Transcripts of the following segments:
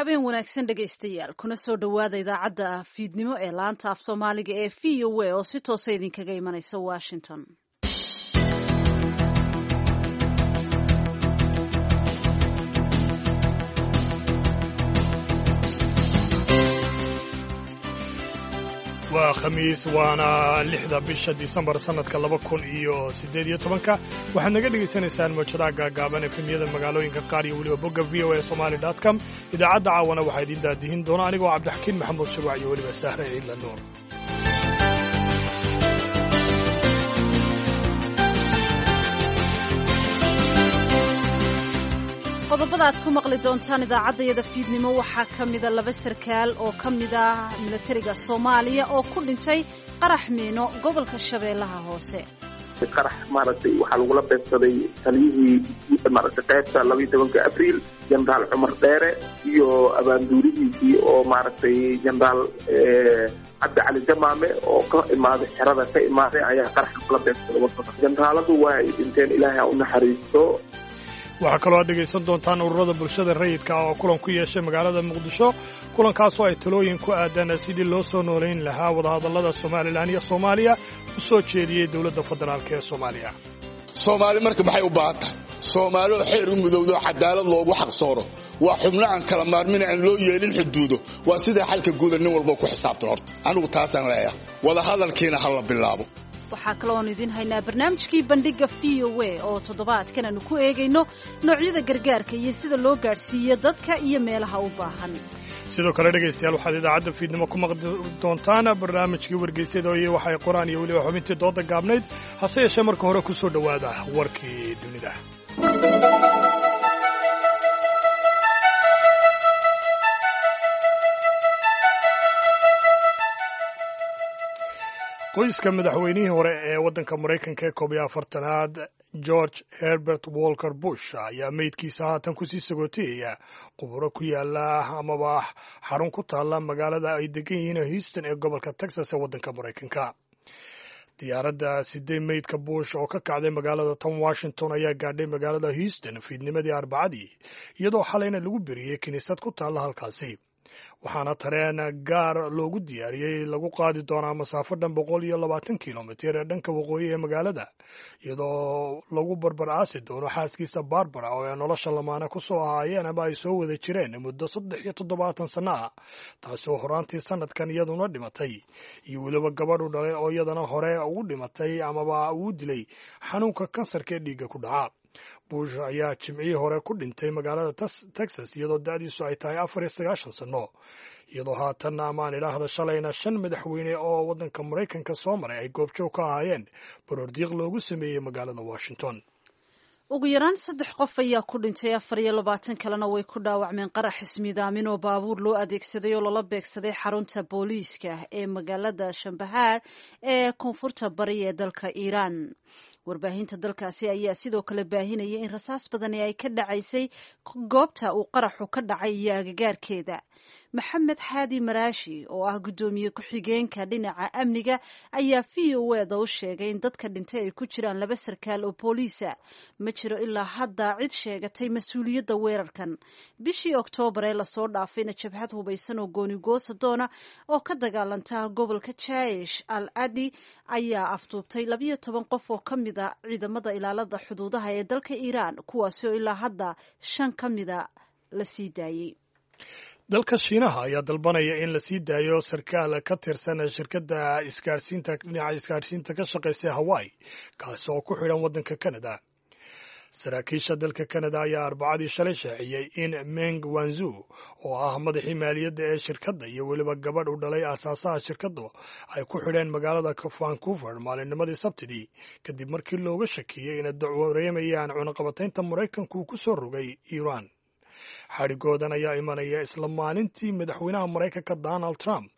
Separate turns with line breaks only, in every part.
Habeen wanaagsan dhegaystayaal, kuna soo dhowaada idaacadda fiidnimo ee laanta af Soomaaliga ee VOA oo si toosa idinkaga imanaysa Washington.
Waa Khamiis, waana 6da bisha Disembar sannadka 2018-ka. Waxaad naga dhegaysanaysaan mawjadaha gaagaaban, efemyada magaalooyinka qaar iyo weliba bogga VOA Somali com. Idaacadda caawana waxaa idiin daadihin doona anigoo Cabdixakiin Maxamuud Shuruuc iyo weliba Sahre Ciidla Nuur.
Qodobada aad ku maqli doontaan idaacaddayada fiidnimo waxaa ka mida laba sarkaal oo ka mid ah milatariga Soomaaliya oo ku dhintay qarax miino gobolka Shabeellaha Hoose.
Qarax maaragtay waxaa lagula beegsaday taliyihii maaragtay qaybta 12-ka Abriil, Jenaraal Cumar Dheere, iyo abaanduurihiisii oo maaragtay Jenaraal Cabdi Cali Jamaame oo ka imaaday xerada ka imaaday ayaa qarax lagula beegsaday wadada. Jenaraaladu waa ay dhinteen, Ilaahay ha u naxariisto.
Waxaa kaloo aad dhegaysan doontaan ururada bulshada rayidka ah oo kulan ku yeeshay magaalada Muqdisho, kulankaasoo ay talooyin ku aadaan sidii loo soo noolayn lahaa wadahadallada Somalilan iyo Soomaaliya u soo jeediyey dowladda federaalk ee Soomaaliya.
Soomaali marka maxay u baahan tahay? Soomaali oo xeer u mudowdo, cadaalad loogu xaqsooro, waa xubno aan kala maarmin, aan loo yeelin xuduudo. Waa sidaa xalka guuda nin walba ku xisaabtan. Horta anigu taasaan leeyahay, wadahadalkiina ha la bilaabo.
Waxaa kaloo aanu idiin haynaa barnaamijkii bandhigga VOA oo toddobaadkan aanu ku eegayno noocyada gargaarka iyo sida loo gaadhsiiyo dadka iyo meelaha u baahan.
Sidoo kale dhegaystayaal, waxaad idaacadda fiidnimo ku maqli doontaan barnaamijkii wargeysyada iyo waxay qoraan iyo weliba xubintii dooda gaabnayd. Hase yeeshee marka hore ku soo dhowaada warkii dunida. Qoyska madaxweynihii hore ee waddanka Maraykanka ee 41aad, George Herbert Walker Bush, ayaa meydkiisa haatan kusii sagootiyaya quburo ku yaala amaba xarun ku taalla magaalada ay degan yihiin Houston ee gobolka Texas ee waddanka Maraykanka. Diyaaradda siday meydka Bush oo ka kacday magaalada tan Washington ayaa gaadhay magaalada Houston fiidnimadii Arbacadii, iyadoo xalayna lagu beriyey kiniisad ku taalla halkaasi, waxaana tareen gaar loogu diyaariyey lagu qaadi doonaa masaafo dhan 120 kilomitir ee dhanka waqooyi ee magaalada, iyadoo lagu barbar aasi doono xaaskiisa Barbara oo ay nolosha lamaane ku soo ahaayeen ama ay soo wada jireen muddo 73 sanno ah, taasi oo horaantii sanadkan iyaduna dhimatay, iyo weliba gabadhu dhalay oo iyadana hore ugu dhimatay amaba uu dilay xanuunka kansarka ee dhiigga ku dhaca. Bush ayaa jimcihii hore ku dhintay magaalada Texas iyadoo da'diisu ay tahay 94 sanno, iyadoo haatan amaan idhaahda shalayna shan madaxweyne oo waddanka Maraykanka soo maray ay goobjoog ka ahaayeen baroordiiq loogu sameeyey magaalada Washington.
Ugu yaraan saddex qof ayaa ku dhintay, 24 kalena way ku dhaawacmeen qarax ismiidaamin oo baabuur loo adeegsaday oo lala beegsaday xarunta booliiska ee magaalada Shambahaar ee koonfurta bari ee dalka Iiraan. Warbaahinta dalkaasi ayaa sidoo kale baahinaya in rasaas badani ay ka dhacaysay goobta uu qaraxu ka dhacay iyo agagaarkeeda. Maxamed Xaadi Maraashi oo ah guddoomiye ku-xigeenka dhinaca amniga ayaa VOA da u sheegay in dadka dhintay ay ku jiraan laba sarkaal oo booliisa. Ma jiro ilaa hadda cid sheegatay mas-uuliyadda weerarkan. Bishii Oktoobar ee lasoo dhaafayna, jabhad hubaysan oo goonigoosa doona oo ka dagaalanta gobolka Jaish al Adi ayaa afduubtay 12 qof oo ka mid a ciidamada ilaalada xuduudaha ee dalka Iiraan, kuwaasi oo ilaa hadda shan ka mida la sii daayey.
Dalka Shiinaha ayaa dalbanaya in la sii daayo sarkaal ka tirsan shirkadda isgaarsiinta dhinaca isgaarsiinta ka shaqaysa Hawaii, kaasi oo ku xidhan waddanka Canada. Saraakiisha dalka Canada ayaa Arbacadii shalay shaaciyey in Meng Wanzu oo ah madaxii maaliyadda ee shirkadda iyo weliba gabadh u dhalay aasaasaha shirkaddu ay ku xidheen magaalada Vancouver maalinnimadii Sabtidii, kadib markii looga shakiyey inay dacwareemayaan cunaqabataynta Maraykanku ku soo rogay Iiraan. Xadhigoodan ayaa imanaya isla maalintii madaxweynaha Maraykanka Donald Trump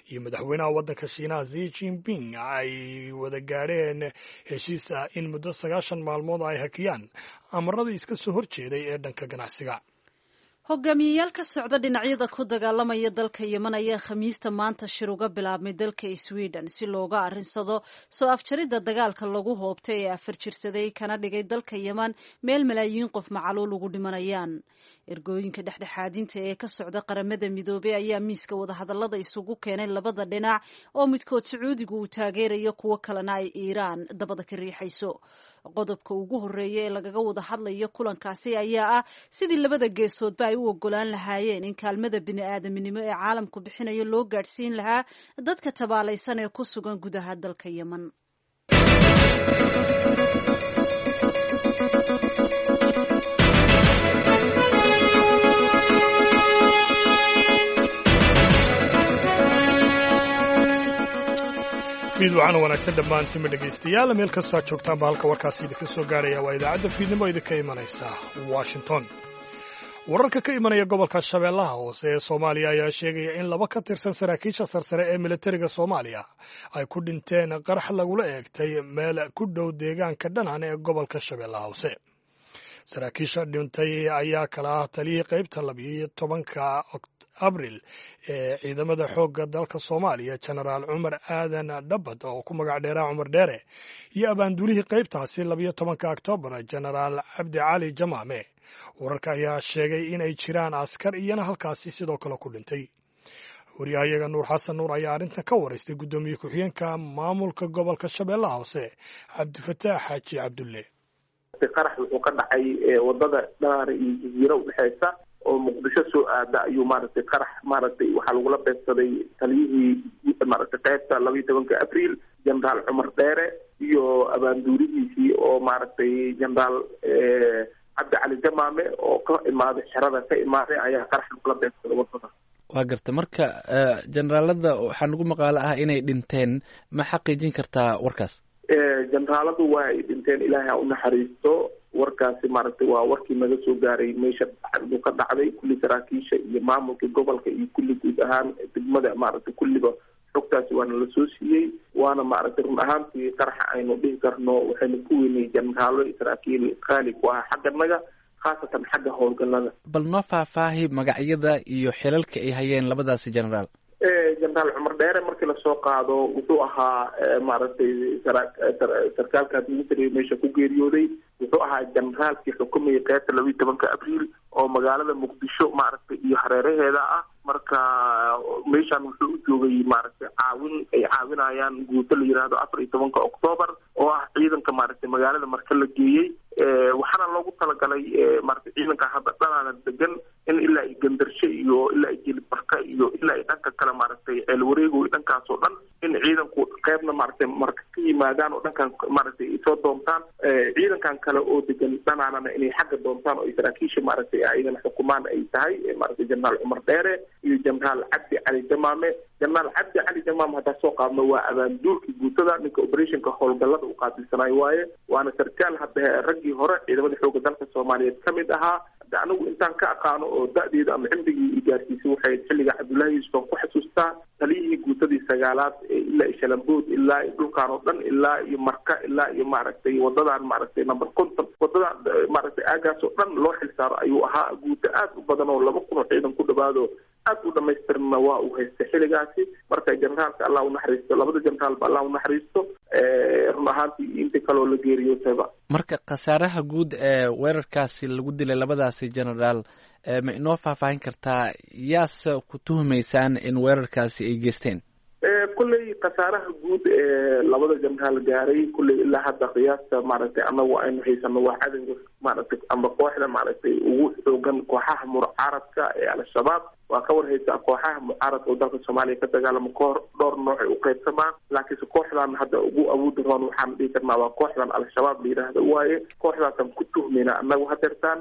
iyo madaxweynaha waddanka Shiinaha Xi Jinping ay wada gaadheen heshiis ah in muddo 90 maalmood ay hakiyaan amaradii iska soo horjeeday ee dhanka ganacsiga.
Hogaamiyeyaal ka socda dhinacyada ku dagaalamaya dalka Yemen ayaa Khamiista maanta shir uga bilaabmay dalka Sweden si looga arrinsado soo afjaridda dagaalka lagu hoobtay ee afar jirsaday kana dhigay dalka Yemen meel malaayiin qof macaluul ugu dhimanayaan. Ergooyinka dhexdhexaadinta ee ka socda Qaramada Midoobey ayaa miiska wadahadallada isugu keenay labada dhinac oo midkood Sacuudigu uu taageerayo, kuwo kalena ay Iiraan dabada ka riixayso. Qodobka ugu horeeya ee lagaga wada hadlayo kulankaasi ayaa ah sidii labada geesoodba ay u ogolaan lahaayeen in kaalmada bini'aadaminimo ee caalamku bixinayo loo gaadhsiin lahaa dadka tabaalaysan ee ku sugan gudaha dalka Yemen.
Fiid waxaana wanaagsan dhammaantiinba dhegaystayaal, meel kastoo aad joogtaanba. Halka warkaasi idinka soo gaaraya waa idaacadda fiidnimo idinka imanaysa Washington. Wararka ka imanaya gobolka Shabeellaha Hoose ee Soomaaliya ayaa sheegaya in laba ka tirsan saraakiisha sarsare ee militariga Soomaaliya ay ku dhinteen qarax lagula eegtay meel ku dhow deegaanka Dhanaan ee gobolka Shabeellaha Hoose. Saraakiisha dhintay ayaa kala ah taliyihii qaybta 12-ka Abril ee ciidamada xoogga dalka Soomaaliya, Jenaraal Cumar Aadan Dhabad oo ku magac dheeraa Cumar Dheere, iyo abaanduulihii qaybtaasi 12-ka Oktoobar, Jenaraal Cabdi Cali Jamaame. Wararka ayaa sheegay in ay jiraan askar iyana halkaasi sidoo kale ku dhintay. Waryahayaga Nuur Xasan Nuur ayaa arrintan ka waraystay guddoomiye ku-xigeenka maamulka gobolka Shabeellaha Hoose, Cabdifataax Xaaji Cabdulle.
Qarax wuxuu ka dhacay wadada Dhanaar iyo Jaziiro udhexeysa oo Muqdisho soo aada ayuu maaragtay qarax maaragtay waxaa lagula beegsaday taliyihii maaragtay qaybta 12-ka Abriil, Jenaraal Cumar Dheere, iyo abaanduurihiisii oo maaragtay Jenaraal Cabdi Cali Jamaame oo ka imaaday xerada ka imaaday ayaa qarax lagula beegsaday wadada.
Waa garta. Marka jenaraalada waxaa nagu maqaalo ah inay dhinteen, ma xaqiijin kartaa warkaas?
Jenaraaladu waa ay dhinteen, Ilaahay ha unaxariisto. Warkaasi maaragtay waa warkii naga soo gaaray meesha uu ka dhacday. Kulli saraakiisha iyo maamulka gobolka iyo kulli guud ahaan degmada maaragtay kulliba xogtaasi waana la soo siiyey. Waana maaragtay run ahaantii qaraxa aynu dhihi karno waxaynu ku weynay jenaraalo saraakiil qaali ku ah xagganaga, khaasatan xagga howlgalada.
Bal noo faahfaahi magacyada iyo xilalka ay hayeen labadaasi jenaraal.
Jenaraal Cumar Dheere markii lasoo qaado wuxuu ahaa maaragtay sarkaalkaas military meesha ku geeriyooday. Wuxuu ahaa jenaraalkii xukumayay qeybta 12-ka Abriil oo magaalada Muqdisho maaragtay iyo hareeraheeda ah. Marka meeshaan wuxuu u joogay maaragtay caawin ay caawinayaan guuto la yiraahdo 14-ka Octoobar oo ah ciidanka maaragtay magaalada marka la geeyey. Waxaana loogu talagalay maaragtay ciidanka hadda Dhanaana degan in ilaa iyo Gandarshe iyo ilaa iyo Jilibarka iyo ilaa iyo dhanka kale maaragtay Ceel Wareego iyo dhankaas oo dhan in ciidanku qeybna maaragtay marka ka yimaadaan oo dhankan maaragtay soo doontaan, ciidankan kale oo degan Dhanaanana inay xagga doontaan oo ay saraakiisha maaragtay ayagana xukumaan ay tahay maaragtay Jenaraal Cumar Dheere iyo Jenaraal Cabdi Cali Jamaame. Jenaraal Cabdi Cali Jamaame haddaa soo qaadno waa abaanduulkii guutada, ninka operationka howlgallada u qaabilsanayo waaye, waana sarkaal hadda raggii hore ciidamada xoogga dalka Soomaaliyeed ka mid ahaa. Hadda anigu intaan ka aqaano oo da-deeda ama cimrigii i gaarsiisay waxay xilliga Cabdullaahi Yuusuf aan ku xasuustaa taliyihii guutadii sagaalaad ee ilaa iyo Shalambood ilaa iyo dhulkaan oo dhan ilaa iyo Marka ilaa iyo maaragtay wadadan maaragtay number 50 wadadan maaragtay aagaas oo dhan loo xilsaaro ayuu ahaa. Guuto aad u badan oo 2000 oo ciidan ku dhawaado aad u dhamaystirna waa uu haystay xilligaasi. Marka jenaraalka Allah unaxariisto, labada jenaraalba Allah unaxariisto, run ahaantii inta kaloo la geeriyootayba.
Marka khasaaraha guud ee weerarkaasi lagu dilay labadaasi jenaraal ma inoo faahfaahin kartaa? Yaase ku tuhumaysaan in weerarkaasi ay geysteen?
Kulley khasaaraha guud ee labada jenaraal gaaray kulley ilaa hadda qiyaasta maaragtay anagu aynu haysano waa cadowga maaragtay ama kooxda maaragtay ugu xoogan kooxaha mucaaradka ee Al-Shabaab. Waa ka warhaysaa kooxaha mucaaradka oo dalka Soomaaliya ka dagaalamo kahor dhowr nooc ay u qaybsamaan, laakiinse kooxdan hadda ugu awoodi roon waxaan dhihi karnaa waa kooxdan Al-Shabaab la yidhaahdo waaye. Kooxdaasaan ku tuhmayna anagu hadeertaan.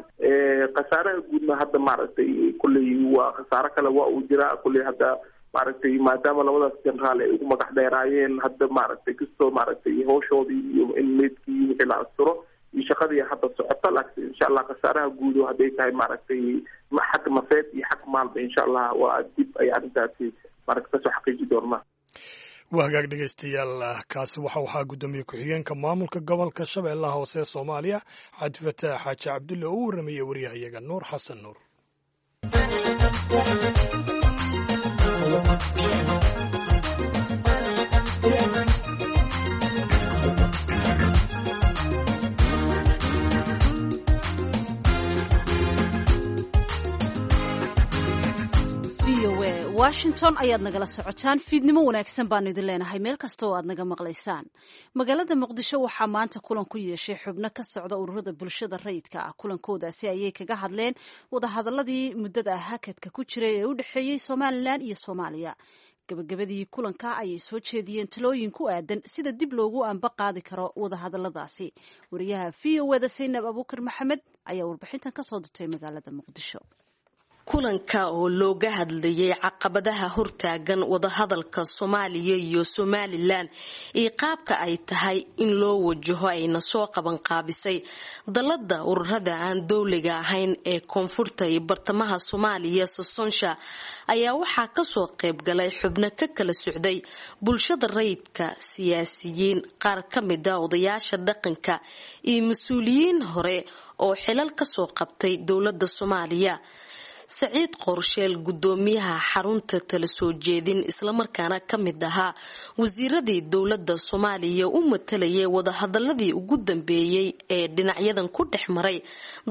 Khasaaraha guudna hadda maaragtay kulley waa khasaaro kale waa uu jiraa kulley hadda maaragtay maadaama labadaas jenaraal ay ugu magac dheeraayeen hadda maaragtay kastoo maaragtay hawshoodii iyo in meydkii wixii la asturo iyo shaqadii hadda socota, laakiin insha Allah khasaaraha guud oo hadday tahay maaragtay xag nafeed iyo xag maalba insha Allah waa dib ay arrintaasi maaragtay kasoo xaqiiji doonaa.
Waa hagaag dhegeystayaal, kaasi waxa waxaa guddoomiye ku-xigeenka maamulka gobolka Shabeellaha Hoose ee Soomaaliya, Cabdifataax Xaaji Cabdulle, oo u warramayay waryahayaga Nuur Xasan Nuur.
Washington ayaad nagala socotaan. Fiidnimo wanaagsan baanu idin leenahay meel kasta oo aad naga maqlaysaan. Magaalada Muqdisho waxaa maanta kulan ku yeeshay xubno ka socda ururada bulshada rayidka ah. Kulankoodaasi ayay kaga hadleen wadahadaladii muddada hakadka ku jiray ee u dhexeeyey Somalilan iyo Soomaaliya. Gabagabadii kulanka ayay soo jeediyeen talooyin ku aadan sida dib loogu anba qaadi karo wadahadaladaasi. Wariyaha VOA-da Saynab Abuukar Maxamed ayaa warbixintan kasoo dirtay magaalada Muqdisho.
Kulanka oo looga hadlayay caqabadaha hortaagan wadahadalka Soomaaliya iyo Somalilan iyo qaabka ay tahay in loo wajaho ayna soo qaban qaabisay dalada ururada aan dowliga ahayn ee koonfurta iyo bartamaha Soomaaliya, Sosonsha, ayaa waxaa kasoo qaybgalay xubno ka kala socday bulshada rayidka, siyaasiyiin, qaar ka mid a odayaasha dhaqanka iyo mas-uuliyiin hore oo xilal kasoo qabtay dowlada Soomaaliya. Saciid Qorsheel, gudoomiyaha xarunta tala soo jeedin islamarkaana ka mid ahaa wasiiradii dowlada Soomaaliya u matalayay wadahadaladii ugu dambeeyey ee dhinacyadan ku dhex maray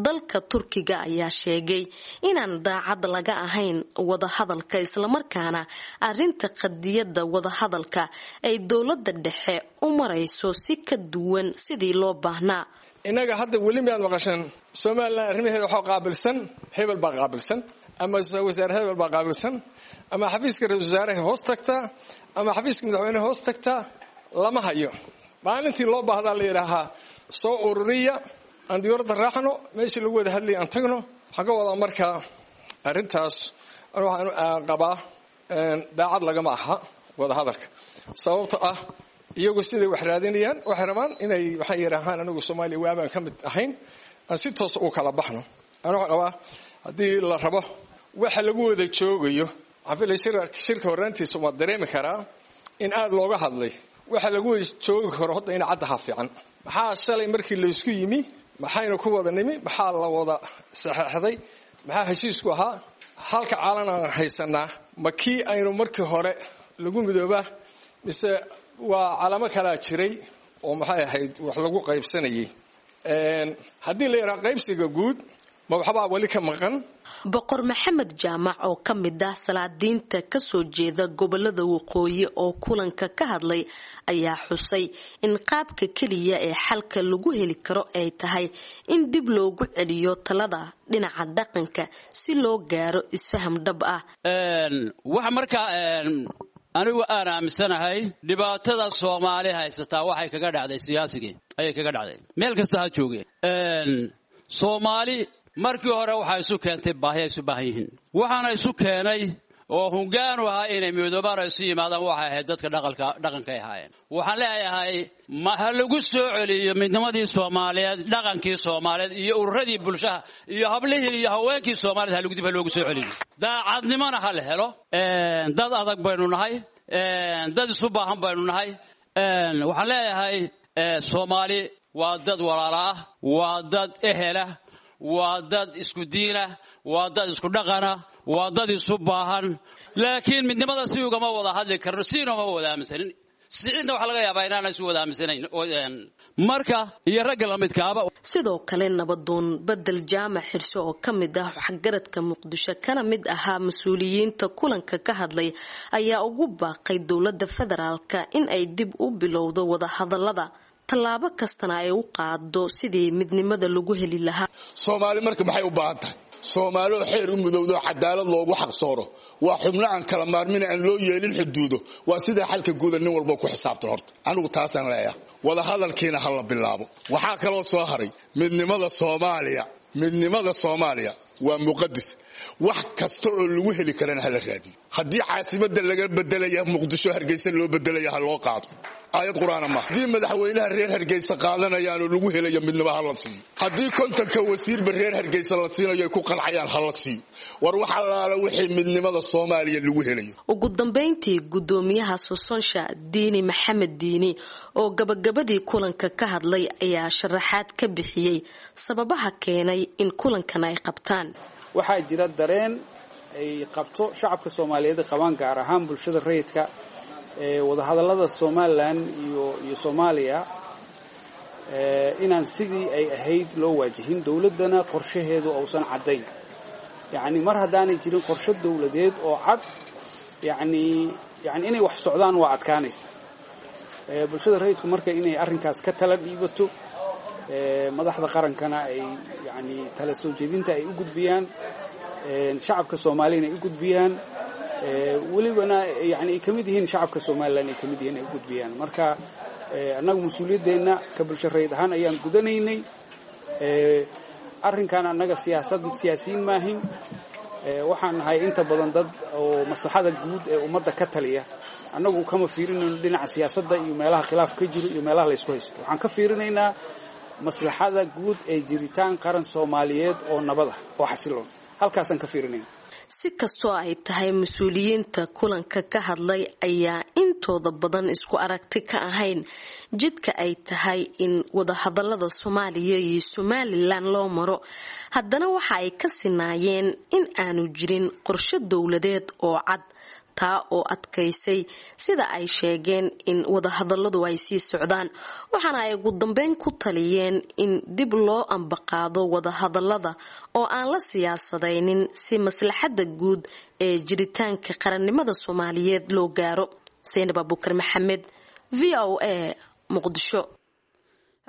dalka Turkiga, ayaa sheegay inaan daacad laga ahayn wadahadalka, islamarkaana arinta qadiyada wadahadalka ay dowlada dhexe u marayso si ka duwan sidii loo baahnaa.
Innaga hadda weli miyaad maqasheen Somalilan arrimaheeda waxaa qaabilsan hebel baa qaabilsan, ama wasaare hebel baa qaabilsan, ama xafiiska ra-isul wasaaraha hoos tagtaa, ama xafiiska madaxweyneha hoos tagtaa? Lama hayo. Maalintii loo baahdaa la yidhaahaa soo ururiya, aan diyuuradda raacno, meeshii lagu wada hadlayay aan tagno. Waxaan ka wadaa markaa arrintaas waxaan qabaa daacad lagama aha wadahadalka, sababto ah iyagu siday wax raadinayaan waxay rabaan inay waxay yidhaahaan anigu Soomaaliya waabaan ka mid ahayn, aan si toos u kala baxno. Ana waxaan qabaa haddii la rabo waxa lagu wada joogayo, waxaan filay shirka horraantiisa waa dareemi karaa in aada looga hadlay waxa lagu wada joogi karo. Hadda in caddaha fiican, maxaa shalay markii laysku yimi, maxaynu ku wada nimi, maxaa la wada saxeexday, maxaa heshiisku ahaa? Halka caalan aan haysanaa ma kii aynu markii hore lagu midoobaa, mise waa calamo kalaa jiray oo maxay ahayd wax lagu qaybsanayay? Haddii la yidhaha qaybsiga guud, ma waxbaa weli ka maqan?
Boqor Maxamed Jaamac oo ka mid ah salaadiinta kasoo jeeda gobolada waqooyi oo kulanka ka hadlay ayaa xusay in qaabka keliya ee xalka lagu heli karo ay tahay in dib loogu celiyo talada dhinaca dhaqanka si loo gaaro isfaham dhab ah.
Wax markaa anigu aan aaminsanahay, dhibaatada Soomaali haysataa waxay kaga dhacday siyaasigii ayay kaga dhacday, meel kasta ha jooge. Soomaali markii hore waxaa isu keentay baahi ay isu baahan yihiin, waxaana isu keenay oo hungaanu ahaa inay midoobaan oo isu yimaadaan waxay ahayd dadka dhaqanka dhaqankay ahaayeen. Waxaan leeyahay ma ha lagu soo celiyo midnimadii Soomaaliyeed, dhaqankii Soomaaliyeed iyo ururadii bulshaha iyo hablihii iyo haweenkii Soomaaliyeed ha lagu dib ha loogu soo celiyo. Daacadnimona ha la helo. Dad adag baynu nahay, dad isu baahan baynu nahay. Waxaan leeyahay Soomaali waa dad walaala ah, waa dad ehelah, waa dad isku diinah, waa dad isku dhaqana, waa dad isu baahan. Laakiin midnimada si ugama wada hadli karno, siinoma wada aaminsanin. Siciidna waxaa laga yaabaa inaana isu wada aaminsanayn marka iyo ragga lamidkaaba.
Sidoo kale nabadoon Bedel Jaamac Xirso oo ka mid ah waxgaradka Muqdisho kana mid ahaa mas-uuliyiinta kulanka ka hadlay ayaa ugu baaqay dowlada federaalka in ay dib u bilowdo wadahadalada, tallaabo kastana ay u qaado sidii midnimada lagu heli lahaa.
Soomaali marka maxay u baahan tahay? Soomaali oo xeer u mudowdo, cadaalad loogu xaqsooro, waa xubno aan kala maarmin, aan loo yeelin xuduudo, waa sidaa xalka guuda nin walba ku xisaabtan. Horta anigu taasaan leeyahay, wadahadalkiina ha la bilaabo. Waxaa kaloo soo haray midnimada Soomaaliya. Midnimada Soomaaliya waa muqadis, wax kasta oo lagu heli karana hala raadiyo. Haddii caasimada laga bedelaya Muqdisho Hargeysa loo bedelaya, ha loo qaado, aayad qur-aana maaha. Haddii madaxweynaha reer Hargeysa qaadanayaanoo lagu helayo midnimo, ha la siiyo. Haddii 50-ka wasiirba reer Hargeysa la siinayo ay ku qancayaan, ha la siiyo. War wax allaala wixii midnimada Soomaaliya lagu helayo.
Ugu dambeyntii gudoomiyaha Sosonsha, Diini Maxamed Diini, oo gabagabadii kulanka ka hadlay ayaa sharaxaad ka bixiyey sababaha keenay in kulankan ay qabtaan.
Waxaa jira dareen ay qabto shacabka Soomaaliyeed qabaan, gaar ahaan bulshada rayidka, ee wadahadallada Somalilan iyo Soomaaliya inaan sidii ay ahayd loo waajihin, dowladdana qorshaheedu uusan caddayn. Yacni mar haddaanay jirin qorshe dowladeed oo cad Yani inay wax socdaan waa adkaanaysa. Bulshada rayidku marka inay arrinkaas ka tala dhiibato, madaxda qarankana ay yani tala soo jeedinta ay u gudbiyaan, shacabka soomaaliyana ay u gudbiyaan, welibana yani ay ka mid yihiin shacabka Somalilan ay ka mid yihiin ay u gudbiyaan. Marka annagu mas-uuliyaddeenna ka bulsho rayid ahaan ayaan gudanaynay arrinkan. Annaga siyaasad siyaasiyiin maahin, waxaan nahay inta badan dad oo maslaxada guud ee ummadda ka taliya. Annagu kama fiirinayno dhinaca siyaasadda iyo meelaha khilaaf ka jiro iyo meelaha laysku haysto. Waxaan ka fiirinaynaa maslaxada guud ee jiritaan qaran Soomaaliyeed oo nabad ah oo xasiloon, halkaasaan ka fiirinayna.
Si kastoo ay tahay, mas-uuliyiinta kulanka ka hadlay ayaa intooda badan isku aragti ka ahayn jidka ay tahay in wadahadalada Soomaaliya iyo Somalilan loo maro. Haddana waxa ay ka sinaayeen in aanu jirin qorshe dowladeed oo cad, taa oo adkaysay sida ay sheegeen in wadahadaladu ay sii socdaan. Waxaana ay ugu dambeyn ku taliyeen in dib loo ambaqaado wadahadalada oo aan la siyaasadaynin si maslaxada guud ee jiritaanka qarannimada Soomaaliyeed loo gaaro. Saynab Abuukar Maxamed, VOA, Muqdisho.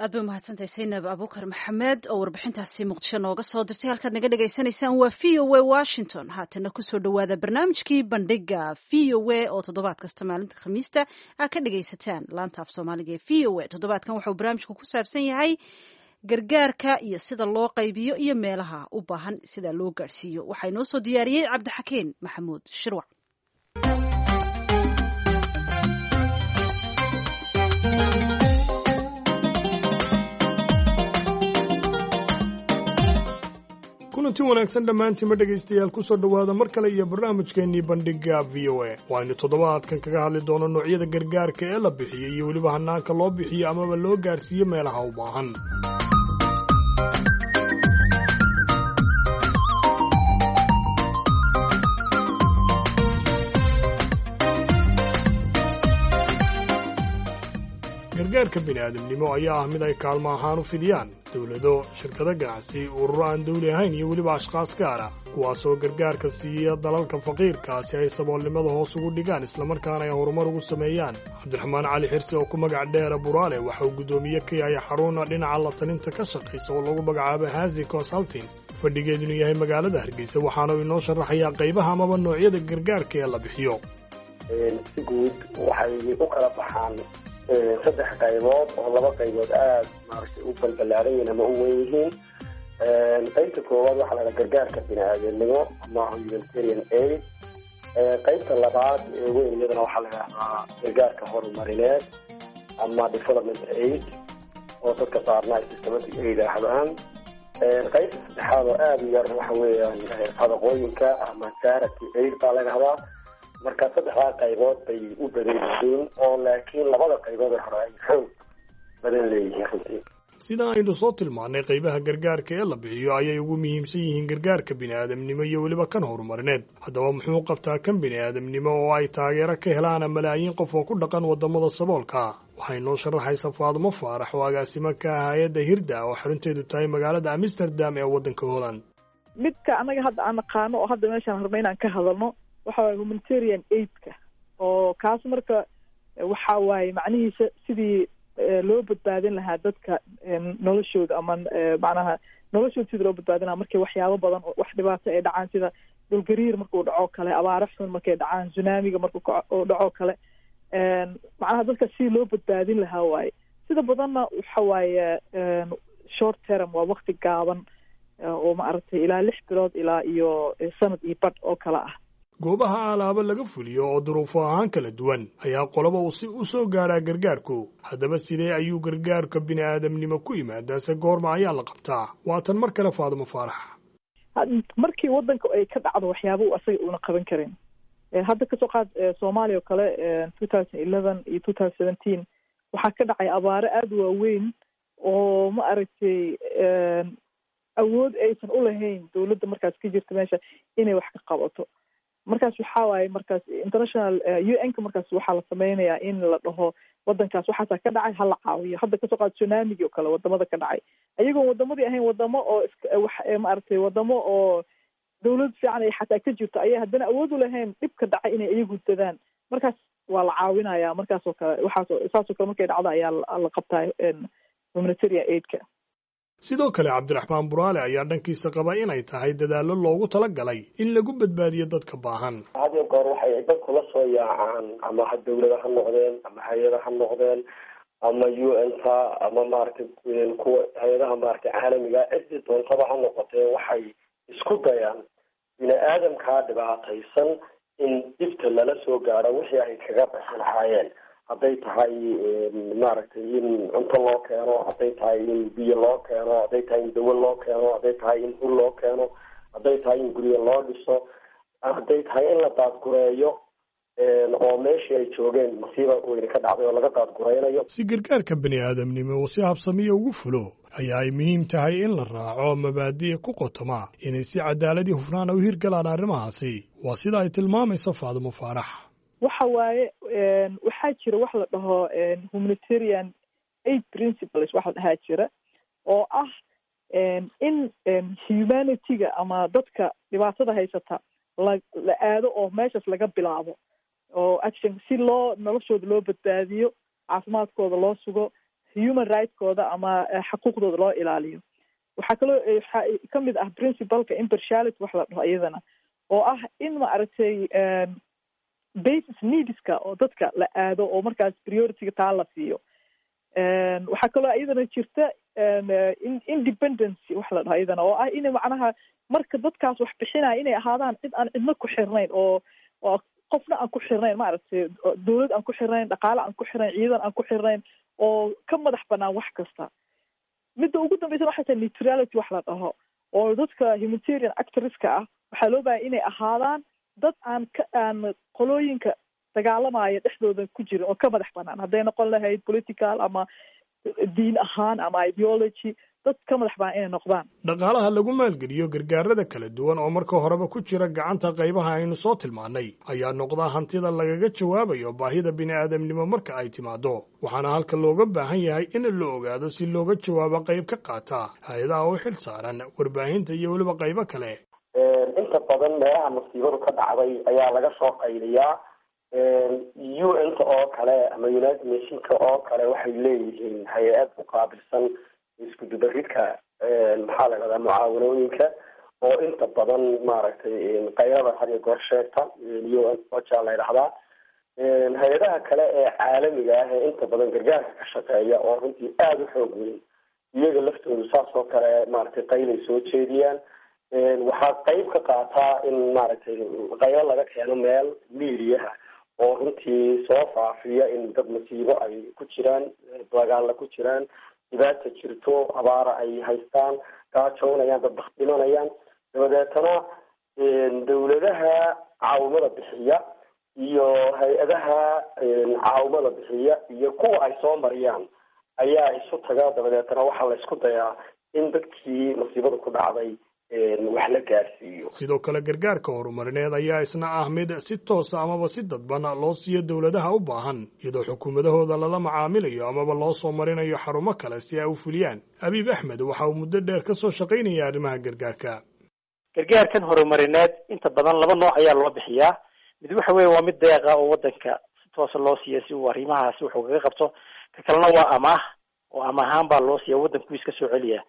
Aad bay umahadsantahay Saynab Abuukar Maxamed oo warbixintaasi Muqdisho nooga soo dirtay. Halkaad naga dhagaysanaysaan waa VOA Washington. Haatana kusoo dhawaada barnaamijkii Bandhiga VOA oo toddobaad kasta maalinta Khamiista aad ka dhagaysataan laanta af Soomaaliga ee VOA. Toddobaadkan waxauu barnaamijku ku saabsan yahay gargaarka iyo sida loo qaybiyo iyo meelaha u baahan sida loo gaadhsiiyo. Waxaa inoo soo diyaariyey Cabdixakiin Maxamuud Shirwac.
Kulanti wanaagsan dhammaantiinma dhegaystayaal, kusoo dhowaada mar kale iyo barnaamijkeennii Bandhigga VOA. Waaynu toddobaadkan kaga hadli doono noocyada gargaarka ee la bixiyey iyo weliba hanaanka loo bixiyo amaba loo gaadhsiiyo meelaha u baahan. Gargaarka bini'aadamnimo ayaa ah mid ay kaalmo ahaan u fidiyaan dowlado, shirkado ganacsi, ururo aan dawli ahayn iyo weliba ashkhaas gaara, kuwaasoo gargaarka siiya dalalka faqiirkaa si ay saboolnimada hoos ugu dhigaan islamarkaana ay horumar ugu sameeyaan. Cabdiraxmaan Cali Xirsi oo ku magac dheera Buraale waxa uu guddoomiye ka yahay xaruna dhinaca la talinta ka shaqaysa oo lagu magacaabo Hazi Consulting, fadhigeedunu yahay magaalada Hargeysa, waxaana uu inoo sharaxayaa qaybaha amaba noocyada gargaarka ee la bixiyo.
Si guud waxay u kala baxaan saddex qaybood oo laba qaybood aada maaragtay u balbalaaran yihiin ama u weyn yihiin. Qaybta koowaad waxaa la dhaha gargaarka bini-aadamnimo ama humanitarian aid. Qaybta labaad ee weyn iyadana waxaa la yidhahdaa gargaarka horumarineed ama development aid, oo dadka qaarna ay systematic ay yidhaahdaan. Qaybta saddexaad oo aada u yar waxa weeyaan sadaqooyinka ama charity aid baa la yidhahdaa. Marka saddexdaa qaybood bay u badan yihiin, oo laakiin labada qaybood ee hore ay xoog badan leeyihiin runtii.
Sida aynu soo tilmaannay, qaybaha gargaarka ee la bixiyo ayay ugu muhiimsan yihiin gargaarka bini'aadamnimo iyo weliba kan horumarineed. Haddaba muxuu qabtaa kan bini'aadamnimo oo ay taageero ka helaan malaayiin qof oo ku dhaqan waddamada saboolka? Waxay noo sharaxaysa Faadumo Faarax oo agaasimo ka ah hay-adda Hirda oo xarunteedu tahay magaalada Amsterdam ee waddanka Holland.
Midka annaga hadda aan naqaano oo hadda meeshaan rabna inaan ka hadalno waxa waaye humanitarian aidka, oo kaas marka waxa waaye macnihiisa sidii loo badbaadin lahaa dadka noloshooda ama macnaha noloshooda sidii loo badbaadin lahaa markay waxyaabo badan oo wax dhibaato ay dhacaan, sida dhulgariir markuu dhaco kale, abaaro xun markay dhacaan, tsunamiga markuu dhaco kale, macnaha dadka sidii loo badbaadin lahaa waaye. Sida badanna waxa waaye short term, waa wakti gaaban oo maaragtay ilaa 6 bilood ilaa iyo sanad iyo badh oo kale ah.
Goobaha alaabo laga fuliyo oo duruufo ahaan kala duwan ayaa qoloba uu si u soo gaadhaa gargaarku. Haddaba sidee ayuu gargaarka bini'aadamnimo ku yimaadaa, se goorma ayaa la qabtaa? Waa tan mar kale Faadumo Faarax.
Markii waddanka ay ka dhacdo waxyaaba uu asaga uuna qaban karin, hadda kasoo qaad Soomaaliya oo kale, 2011 iyo 2017 waxaa ka dhacay abaaro aada u waaweyn oo ma aragtay awood aysan u lahayn dowladda markaas ka jirta meesha inay wax ka qabato. Markaas waxaa waaye markaas international UN-ka markaas waxaa la sameynayaa in la dhaho wadankaas waxaasaa ka dhacay, hala caawiyo. Hadda kasoo qaad tsunamigi oo kale wadamada ka dhacay, ayagoon wadamadii ahayn wadamo oo wax maaragtay wadamo oo Dawlad fiican ay xataa ka jirto ayay haddana awood u lahayn dhibka dhacay inay iyagu dadaan. Markaas waa la caawinaya. Markaas oo kale, waxaas saasoo kale markay dhacdo ayaa la qabtaa humanitarian aidka.
Sidoo kale, Cabdiraxmaan Buraale ayaa dhankiisa qaba inay tahay dadaallo loogu talagalay in lagu badbaadiyo dadka baahan.
Had iyo goor waxay dadku la soo yaacaan, ama ha dawlada ha noqdeen, ama hay-ada ha noqdeen, ama UN-ta, ama maaragtay kuwa hay-adaha maaragtay caalamiga, ciddii doontaba ha noqotee, waxay isku dayaan bini aadamkaa dhibaataysan in dhibta lala soo gaaro wixii ay kaga bixi lahaayeen, hadday tahay maaragtay in cunto loo keeno, hadday tahay in biyo loo keeno, hadday tahay in dawo loo keeno, hadday tahay in hul loo keeno, hadday tahay in guryo loo dhiso, hadday tahay in la daadgureeyo oo meeshii ay joogeen masiiba weyne ka dhacday oo laga daadgureynayo.
Si gargaarka bini aadamnimo uu si habsamiya ugu fulo ayaa ay muhiim tahay in la raaco mabaadi'i ku qotoma inay si cadaaladii hufnaana u hirgalaan arrimahaasi. Waa sida ay tilmaamayso Faadumo Faarax.
Waxa waaye, waxaa jira wax la dhaho humanitarian aid principles, waxa la dhahaa jira oo ah in humanity-ga ama dadka dhibaatada haysata la aado oo meeshaas laga bilaabo oo action, si loo noloshooda loo badbaadiyo, caafimaadkooda loo sugo, human right-kooda ama xaquuqdooda loo ilaaliyo. Waxaa kaloo waxaa kamid ah principle-ka impartiality wax la dhaho iyadana, oo ah in, ma aragtay, basic needs-ka oo dadka la aado oo markaas priority-ga taa la siiyo. Waxaa kaloo iyadana jirta independency wax la dhaho iyadana, oo ah in macnaha marka dadkaas wax bixinaya inay ahaadaan cid aan cidna ku xirnayn oo qofna aan ku xirnayn, maaragtay, dawlad aan ku xirnayn, dhaqaale aan ku xirnayn, ciidan aan ku xirnayn, oo ka madax banaan wax kasta. Midda ugu dambeysana waxay tahay neutrality wax la dhaho, oo dadka humanitarian actors-ka ah waxaa loo bahaya inay ahaadaan dad aan ka aan qolooyinka dagaalamaya dhexdooda ku jirin oo ka madax banaan, hadday noqon lahayd political ama diin ahaan ama ideology, dad ka madax banaan inay noqdaan.
Dhaqaalaha lagu maalgeliyo gargaarada kala duwan oo marka horeba ku jira gacanta qaybaha aynu soo tilmaannay ayaa noqda hantida lagaga jawaabayo baahida bini'aadamnimo marka ay timaado, waxaana halka looga baahan yahay in la ogaado si looga jawaabo qayb ka qaata hay-adaha u xil saaran, warbaahinta iyo weliba qaybo kale.
Inta badan meelaha masiibadu ka dhacday ayaa laga soo qayliyaa. UN-ta oo kale ama United Nation-ka oo kale waxay leeyihiin hay-ad u qaabilsan isku dubaridka, maxaa la dhahdaa, mucaawanooyinka, oo inta badan maaragtay qaylada had iyo goor sheegta, UN OCHA la yidhahdaa. Hay-adaha kale ee caalamiga ah ee inta badan gargaarka ka shaqeeya oo runtii aada u xoog weyn, iyaga laftoodu saas oo kale maaragtay qaylay soo jeediyaan. Waxaa qayb ka qaataa in maaragtay qaylo laga keeno meel miidiyaha oo runtii soo faafiya in dad masiibo ay ku jiraan, dagaalla ku jiraan, dhibaata jirto, abaara ay haystaan, gaajoonayaan, dad baktimanayaan. Dabadeetana dawladaha caawimada bixiya iyo hay-adaha caawimada bixiya iyo kuwa ay soo mariyaan ayaa isu taga. Dabadeetana waxaa la isku dayaa in dadkii masiibada ku dhacday wax la gaarsiiyo.
Sidoo kale, gargaarka horumarineed ayaa isna ah mid si toosa amaba si dadban loo siiyo dowladaha u baahan, iyadoo xukuumadahooda lala macaamilayo amaba loo soo marinayo xarumo kale si ay u fuliyaan. Abiib Axmed waxa uu muddo dheer ka soo shaqaynaya arrimaha gargaarka.
Gargaarkan horumarineed inta badan laba nooc ayaa loo bixiyaa. Mid waxa weeye waa mid deeqa oo wadanka si toosa loo siiya si uu arrimahaasi wuxuu kaga qabto. Ka kalena waa amaah, oo amaah ahaan baa loo siiya, waddanku iska soo celiya.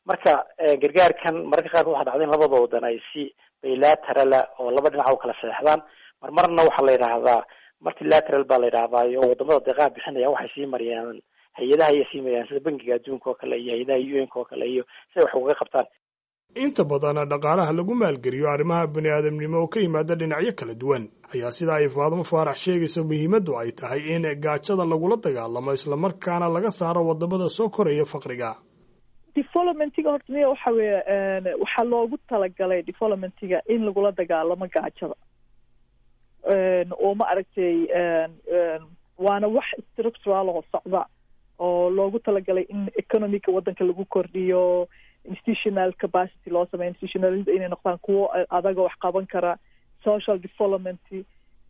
Marka gargaarkan mararka qaarkood waxaa dhacda in labada wadan ay si bilateral oo laba dhinac u kala saxeexdaan. Marmarna waxaa la yidhaahdaa multilateral baa la yidhahdaa, iyo wadamada deeqaha bixinaya waxay sii mariyaan hay-adaha ayay sii mariyaan, sida Bangiga Adduunka oo kale iyo hay-adaha UN-ka oo kale, iyo si ay wax ugaga qabtaan.
Inta badan dhaqaalaha lagu maalgeliyo arrimaha bini aadamnimo oo ka yimaada dhinacyo kala duwan ayaa, sida ay Faadimo Faarax sheegayso, muhiimaddu ay tahay in gaajada lagula dagaalamo, islamarkaana laga saaro wadamada soo koraya faqriga.
Development-iga horta miya, waxa weeye waxaa loogu talagalay development-iga in lagula dagaalamo gaajada oo, ma aragtay, waana wax structural oo socda oo loogu talagalay in economy-ga waddanka lagu kordhiyo, institutional capacity loo sameeyo, institutional-ada inay noqdaan kuwo adaga wax qaban kara, social development,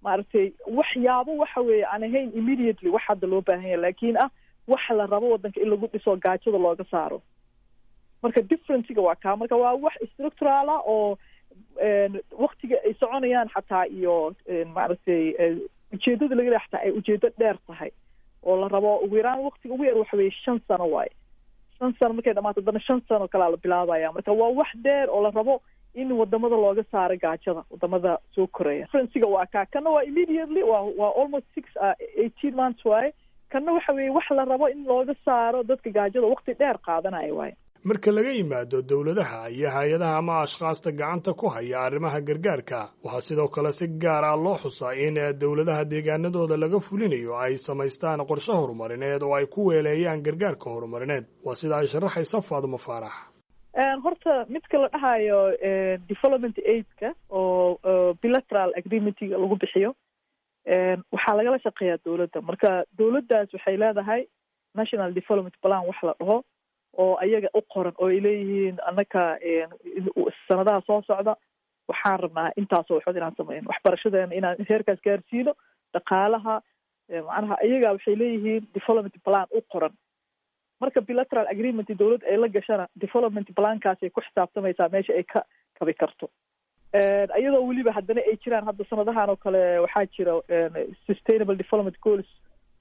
maaragtay, waxyaabo waxa weeye aan ahayn immediately wax hadda loo baahan yahay, laakiin ah waxa la rabo waddanka in lagu dhiso, gaajada looga saaro. Marka difference-ga waa kaa. Marka waa wax structural ah oo Waktiga ay soconayaan xataa iyo maaragtay ujeedada laga leeyahay xataa ay ujeedo dheer tahay oo la rabo ugu yaraan waktiga ugu yar waxa weeye 5 sano waaye. 5 sano markay dhamaato, haddana 5 sano kalaa la bilaabaya. Marka waa wax dheer oo la rabo in wadamada looga saaro gaajada, wadamada soo koraya. Difference-ga waa kaa. Kana waa immediately, waa almost 6, 18 months waaye. Kana waxa weeye wax la rabo in looga saaro dadka gaajada, waqti dheer qaadanaya waaye.
Marka laga yimaado dowladaha iyo hay-adaha ama ashkhaasta gacanta ku haya arrimaha gargaarka, waxaa sidoo kale si gaar ah loo xusaa in dowladaha deegaanadooda laga fulinayo ay samaystaan qorshe horumarineed oo ay ku weeleeyaan gargaarka horumarineed. Waa sida ay sharaxaysa Faadumo Faarax.
Horta midka la dhahayo development aid-ka oo bilateral agreement-iga lagu bixiyo, waxaa lagala shaqeeyaa dowladda. Marka dowladdaas waxay leedahay national development plan wax la dhaho oo ayaga u qoran, oo ay leeyihiin annaka sanadaha soo socda waxaan rabnaa intaasoo waxood inaan sameyno, waxbarashadeena inaan heerkaas gaarsiino, dhaqaalaha. Macnaha ayaga waxay leeyihiin development plan u qoran. Marka bilateral agreement dowladda ay la gashana, development plan-kaas ay ku xisaabtamaysaa meesha ay ka kabi karto, iyadoo weliba haddana ay jiraan hadda sanadahan oo kale waxaa jira Sustainable Development Goals,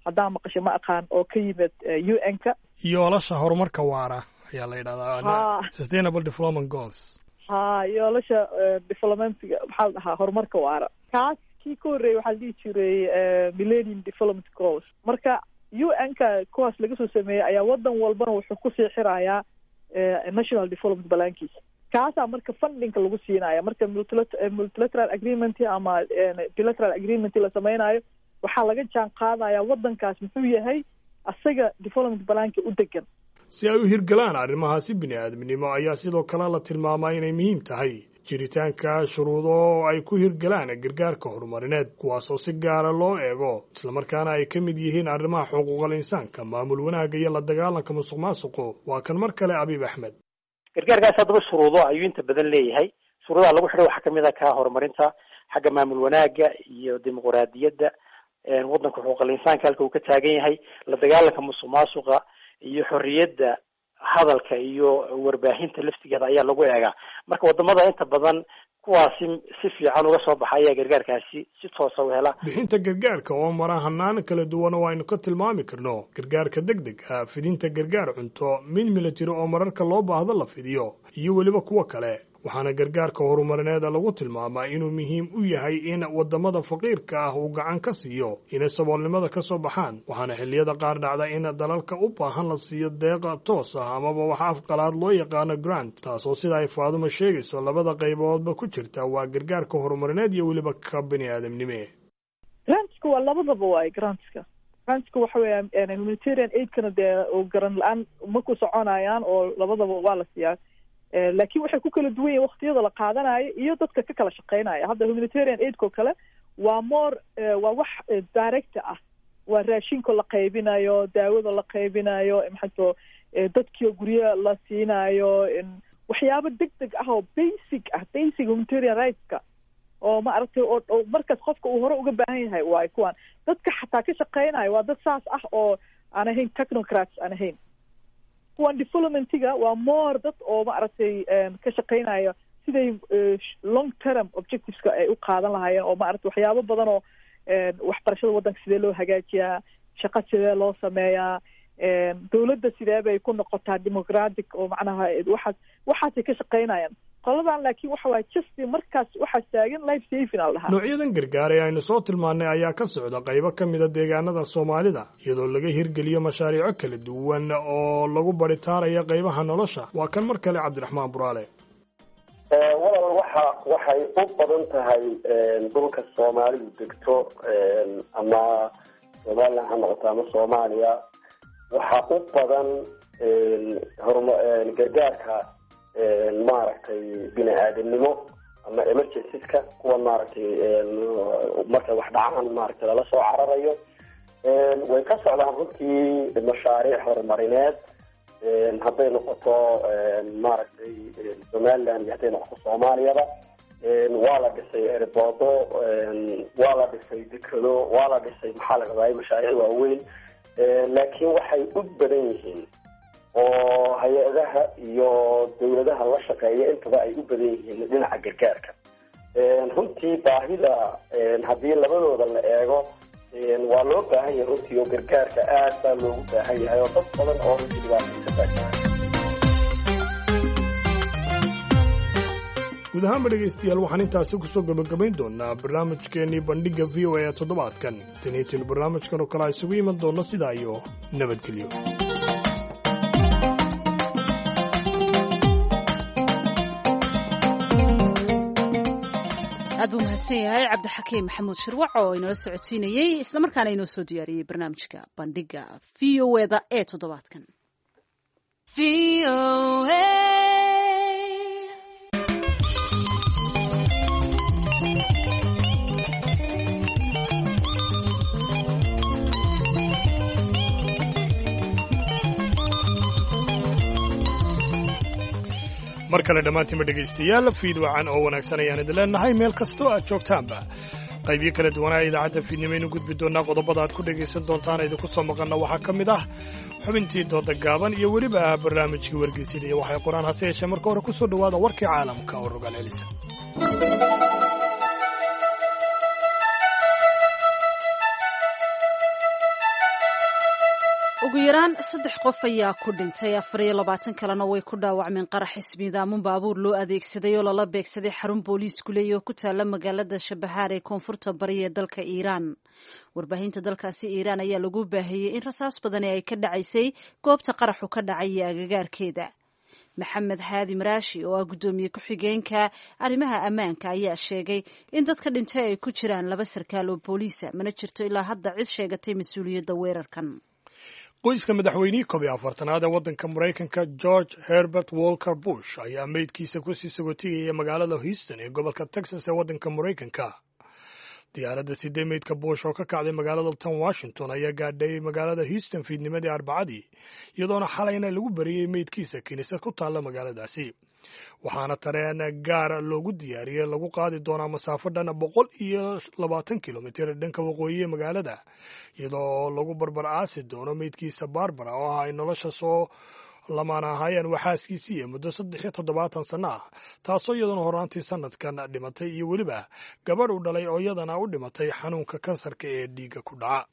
haddaan maqasho ma aqaan, oo ka yimid UN-ka.
Yoolasha horumarka waara ayaa la yidhahdaa, Sustainable Development Goals.
Ha, yoolasha development-ga, maxaa la dhahaa, horumarka waara. Kaas kii ka horreeyay waxaa la dhihi jiray Millennium Development Goals. Marka UN-ka kuwaas laga soo sameeyey ayaa wadan walbana wuxuu kusii xirayaa national development plan-kiisa. Kaasaa marka funding-ka lagu siinaya. Marka multilateral agreement ama bilateral agreement la sameynayo, waxaa laga jaan qaadaya wadankaas muxuu yahay asaga development plan-ka u degan.
Si ay u hirgalaan arrimahaasi bini aadminimo ayaa sidoo kale la tilmaamaa inay muhiim tahay jiritaanka shuruudo oo ay ku hirgalaan gargaarka horumarineed, kuwaasoo si gaara loo eego, islamarkaana ay ka mid yihiin arrimaha xuquuqal insaanka, maamul wanaagga iyo la dagaalanka musuq maasuqu. Waa kan mar kale Abiib Axmed.
Gargaarkaas haddaba shuruudo ayuu inta badan leeyahay. Shuruudaha lagu xidhay waxaa kamid ah ka horumarinta xagga maamul wanaagga iyo dimuqraadiyadda waddanka, xuquuqal insaanka halka uu ka taagan yahay, la dagaalanka musuq maasuqa iyo xorriyadda hadalka iyo warbaahinta laftigeeda ayaa lagu eegaa. Marka wadamada inta badan kuwaasi si fiican uga soo baxa ayaa gargaarkaasi si toosa u hela.
Bixinta gargaarka oo mara hanaan kala duwan oo aynu ka tilmaami karno gargaarka deg deg ah, fidinta gargaar cunto, mid military oo mararka loo baahdo la fidiyo, iyo weliba kuwo kale. Waxaana gargaarka horumarineed lagu tilmaamaa inuu muhiim u yahay in wadamada faqiirka ah uu gacan ka siiyo inay saboolnimada ka soo baxaan. Waxaana xilliyada qaar dhacda in dalalka u baahan la siiyo deeqa toos ah amaba waxa afqalaad loo yaqaano grant, taasoo sida ay Faadumo sheegayso labada qayboodba ku jirta, waa gargaarka horumarineed iyo weliba ka bini aadamnime.
Grants-ka waa labadaba waay. Grants-ka waxa weeya humanitarian aid-kana dee grant la-aan ma ku soconayaan, oo labadaba waa la siiyaa, laakiin waxay ku kala duwan yihin waktiyada la qaadanayo iyo dadka ka kala shaqeynaya. Hadda humanitarian aid-ko kale waa more, waa wax direct ah, waa raashinka la qaybinayo, daawada la qaybinayo, maxato dadkii guryo la siinayo, waxyaabo deg deg ah oo basic ah, basic humanitarian rights-ka oo ma aragtay oo markaas qofka uu hore uga baahan yahay waay. Kuwan dadka xataa ka shaqeynayo waa dad saas ah oo aan ahayn technocrats aan ahayn. Kuwan development-iga waa more dad oo ma aragtay ka shaqeynayo siday long term objectives-ka ay u qaadan lahaayeen, oo ma aragtay waxyaabo badan oo waxbarashada waddanka sidee loo hagaajiyaa, shaqo sidee loo sameeyaa, dowladda sidee bay ku noqotaa democratic, oo macnaha waxaasay ka shaqeynayaan qoladan. Laakiin waxa waaye just markaas waxaa taagan life saving al dhahaa.
Noocyadan gargaar ee aynu soo tilmaannay ayaa ka socda qaybo ka mida deegaanada Soomaalida, iyadoo laga hirgeliyo mashaariico kala duwan oo lagu baritaarayo qaybaha nolosha. Waa kan mar kale Cabdiraxmaan Buraale.
Walaal, waxay u badan tahay dhulka Soomaalidu degto, ama Somaliland ha noqoto ama Soomaaliya, waxaa u badan horma gargaarka maaragtay bini aadamnimo ama emergencies-ka, kuwa maaragtay markay wax dhacaan maaragtay lala soo cararayo. Way ka socdaan runtii mashaariic horumarineed, hadday noqoto maaragtay Somaliland iyo hadday noqoto Soomaaliyaba. Waa la dhisay airport-o, waa la dhisay dekado, waa la dhisay, maxaa la rabaa, mashaariic waaweyn, laakiin waxay u badan yihiin Oo hay-adaha iyo dawladaha la shaqeeya intaba ay u badan yihiin dhinaca gargaarka. Runtii baahida haddii labadooda la eego, waa loo baahan yahay runtii, oo gargaarka aad baa loogu baahan yahay, oo dad badan oo runtii dhibaataysan baa jira.
Guud ahaanba dhegaystayaal, waxaan intaasi kusoo gabagabayn doonaa barnaamijkeennii Bandhigga VOA ee toddobaadkan. Taniitaynu barnaamijkan oo kale isugu iman doonno, sidaa iyo nabadgelyo.
Aad buu mahadsan yahay Cabdixakiim Maxamuud Shirwac oo inala socodsiinayey islamarkaana inoo soo diyaariyey barnaamijka Bandhigga VOA-da ee toddobaadkan.
Mar kale dhammaantiinba dhegaystayaal, fiid wacan oo wanaagsan ayaan idin leenahay meel kastoo aad joogtaanba. Qaybiyo kala duwanaa idaacadda fiidnimaynu gudbi doonaa. Qodobada aad ku dhegaysan doontaan idinku soo maqanna waxaa ka mid ah xubintii dooda gaaban iyo weliba barnaamijkii Wargeysyada iyo waxay qoraan. Hase yeeshee marka hore ku soo dhowaada warkii caalamka oo rogaal celisa.
Ugu yaraan saddex qof ayaa ku dhintay, 24 kalena way ku dhaawacmeen qarax ismiidaamun baabuur loo adeegsaday oo lala beegsaday xarun booliisku leeya oo ku taala magaalada Shabahaar ee koonfurta bari ee dalka Iiraan. Warbaahinta dalkaasi Iiraan ayaa lagu baahiyey in rasaas badani ay ka dhacaysay goobta qaraxu ka dhacay iyo agagaarkeeda. Maxamed Haadi Maraashi oo ah guddoomiye ku-xigeenka arrimaha ammaanka ayaa sheegay in dadka dhintay ay ku jiraan laba sarkaal oo booliisa. Mana jirto ilaa hadda cid sheegatay mas-uuliyadda weerarkan.
Qoyska madaxweynihii 41aad ee waddanka Maraykanka George Herbert Walker Bush ayaa meydkiisa kusii sagotigaya magaalada Houston ee gobolka Texas ee waddanka Maraykanka. Diyaaradda sidee meydka Bush oo ka kacday magaalada tan Washington ayaa gaadhay magaalada Houston fiidnimadii Arbacadii, iyadoona xalayna lagu bariyey meydkiisa kiniisad ku taalla magaaladaasi. Waxaana tareen gaar loogu diyaariyey lagu qaadi doonaa masaafo dhan 120 kilomitir dhanka waqooyi ee magaalada, iyadoo lagu barbar aasi doono meydkiisa Barbara oo ah ay nolosha soo lamaan ahaayeen waxaaskiisii iyo muddo 73 sanno ah, taasoo iyaduna horaantii sanadkan dhimatay, iyo weliba gabadh uu dhalay oo iyadana u dhimatay xanuunka kansarka ee dhiigga ku dhaca.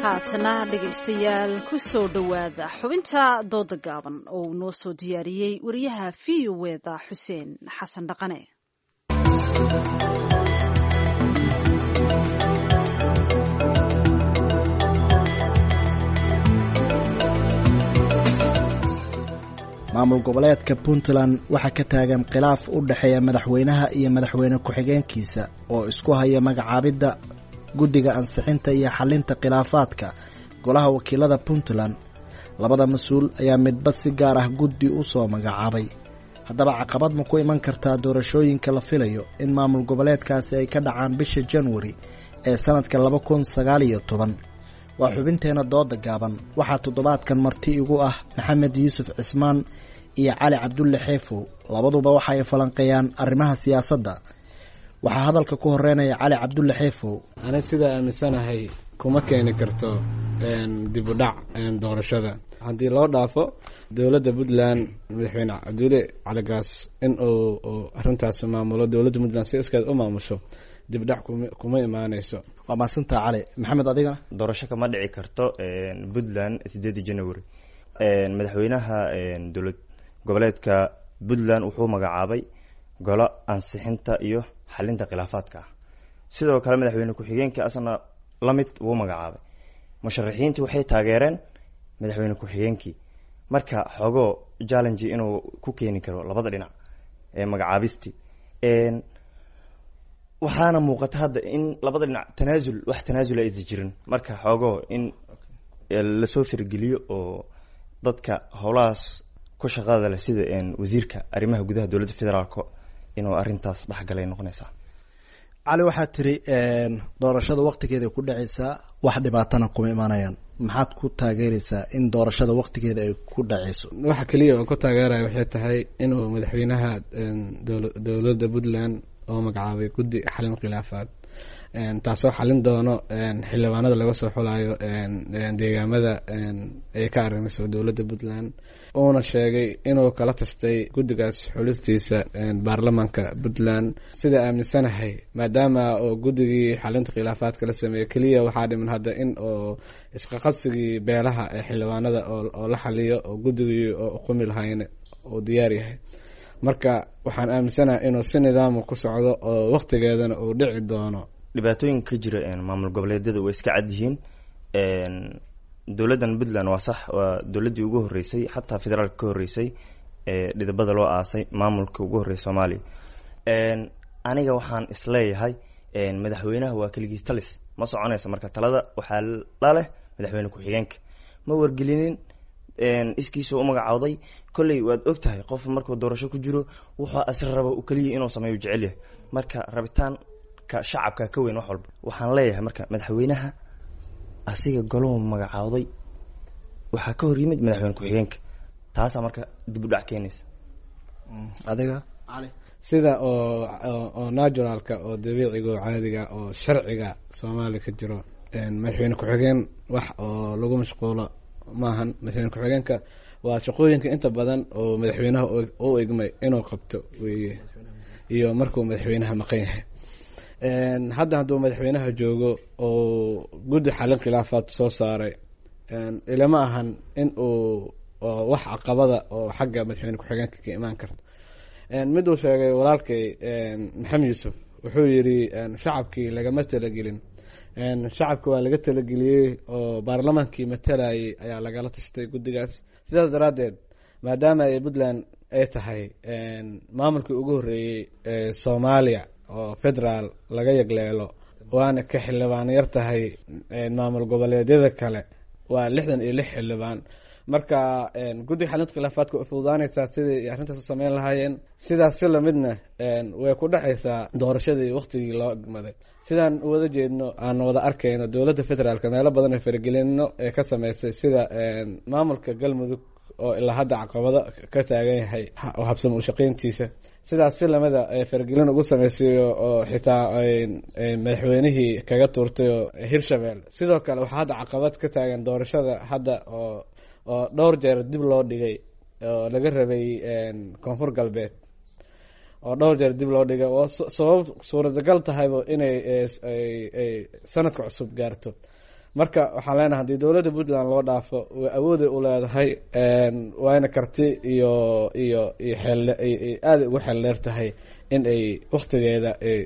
Haatana dhegaystayaal, ku soo dhowaada xubinta dooda gaaban oo uu noo soo diyaariyey wariyaha VOA-da Xuseen Xasan Dhaqane.
Maamul goboleedka Puntland waxaa ka taagan khilaaf u dhexeeya madaxweynaha iyo madaxweyne ku-xigeenkiisa oo isku haya magacaabidda guddiga ansixinta iyo xalinta khilaafaadka golaha wakiilada Puntland. Labada mas-uul ayaa midba si gaar ah guddi u soo magacaabay. Haddaba, caqabad ma ku iman kartaa doorashooyinka la filayo in maamul goboleedkaasi ay ka dhacaan bisha Janwari ee sanadka 2019? Waa xubinteena dooda gaaban. Waxaa toddobaadkan marti igu ah Maxamed Yuusuf Cismaan iyo Cali Cabdulle Xeefow. Labaduba waxa ay falanqeeyaan arrimaha siyaasadda. Waxaa hadalka ku horeynaya Cali Cabdulle Xeefow.
Ani sidaa aaminsanahay, kuma keeni karto dib u dhac doorashada haddii loo dhaafo dowladda Puntland, madaxweyne Cabdulle Caligaas in uu arrintaas maamulo, dowladda Puntland si iskeed u maamusho, dib dhac kuma imaaneyso.
Waa mahadsantaa, Cali. Maxamed, adigana?
Doorasho kama dhici karto Puntland 8-dii January. Madaxweynaha dowlad goboleedka Puntland wuxuu magacaabay golo ansixinta iyo xalinta khilaafaadka ah. Sidoo kale madaxweyne ku-xigeenka asna lamid wuu magacaabay. Musharaxiintii waxay taageereen madaxweyne ku-xigeenkii. Marka xogoo challenge inuu ku keeni karo labada dhinac ee magacaabisti, waxaana muuqata hadda in labada dhinac tanaasul, wax tanaasula aysan jirin. Marka xogoo in lasoo fargeliyo oo dadka howlahaas ku shaqada leh, sida wasiirka arrimaha gudaha dowladda federaalk, inuu arrintaas dhexgalay noqonaysaa.
Cali, waxaad tiri doorashada waqtigeeday ku dhacaysaa, wax dhibaatana kuma imaanayaan. Maxaad ku taageeraysaa in doorashada waqtigeeda ay ku dhaceyso?
Waxa keliya oo ku taageeraya waxay tahay inuu madaxweynaha dowladda Puntland oo magacaabay guddi xalin khilaafaad, taasoo xalin doono xildhibaanada laga soo xulayo deegaamada ay ka arrimayso dowladda Puntland, uuna sheegay inuu kala tashtay guddigaas xulistiisa baarlamaanka Puntland. Sida aaminsanahay, maadaama oo guddigii xalinta khilaafaadka la sameeyey, keliya waxaa dhiman hadda in oo isqaqabsigii beelaha ee xildhibaanada oo la xaliyo, oo guddigii oo uqumi lahayn uu diyaar yahay. Marka waxaan aaminsanahay inuu si nidaama ku socdo oo waqtigeedana uu dhici doono.
Dhibaatooyinka ka jira maamul goboleedyada way iska cad yihiin. Dowladdan Puntland waa sax, waa dowladdii ugu horreysay, xataa federaalka ka horreysay, ee dhidibada loo aasay maamulka ugu horreysay Soomaaliya. Aniga waxaan isleeyahay madaxweynaha waa keligii talis, ma soconayso. Marka talada waxaa la leh madaxweyne ku-xigeenka, ma wargelinin, iskiisuu u magacowday. Kolley waad og tahay, qof markuu doorasho ku jiro wuxuu asri raba uu keliya inuu sameeyo jecel yahay. Marka rabitaanka shacabka ka weyn wax walba. Waxaan leeyahay marka madaxweynaha asiga golahu magacaawday waxaa ka hor yimid madaxweyne ku-xigeenka, taasaa marka dib u dhac keenaysa.
Adiga?
Sida oo naturalka oo dabiiciga oo caadiga oo sharciga Soomaaliya ka jiro, madaxweyne ku-xigeen wax oo lagu mashquulo maahan. Madaxweyne ku-xigeenka waa shaqooyinka inta badan oo madaxweynaha u igmay inuu qabto weye, iyo markuu madaxweynaha maqan yahay. Hadda hadduu madaxweynaha joogo oo guddi xalin khilaafaad soo saaray, ilama ahan in uu wax caqabada oo xagga madaxweyne ku-xigeenka ka imaan karto. Mid uu sheegay walaalkay Maxamed Yuusuf, wuxuu yidhi shacabkii lagama talagelin. Shacabki waa laga talageliyey oo baarlamaankii matalayay ayaa lagala tashtay guddigaas. Sidaas daraaddeed, maadaama ay Puntland ay tahay maamulkii ugu horreeyey ee Soomaaliya oo federaal laga yagleelo, waana ka xildhibaan yar tahay maamul goboleedyada kale, waa 66 xildhibaan. Marka guddiga xalinta khilaafaadka way fududaanaysaa sidai arrintaas u sameyn lahaayeen. Sidaas si lamidna way ku dhexaysaa doorashadii waqtigii loo egmaday. Sidaan u wada jeedno, aan wada arkayno, dowladda federaalka meelo badan ee faragelino ee ka sameysay, sida maamulka Galmudug oo ilaa hadda caqabado ka taagan yahay oo habsama u shaqeyntiisa. Sidaas si lamida ee faragelin ugu sameysay oo xitaa madaxweynihii kaga tuurtay oo Hirshabelle. Sidoo kale waxaa hadda caqabad ka taagan doorashada hadda oo dhowr jeer dib loo dhigay oo laga rabay Koonfur Galbeed, oo dhowr jeer dib loo dhigay, oo sabab suuradagal tahayba inay ay sanadka cusub gaarto. Marka waxaan leenahay, haddii dowladda Puntland loo dhaafo, way awooday u leedahay, waana karti iyo xeel aada ugu xeel dheer tahay in ay waktigeeda ay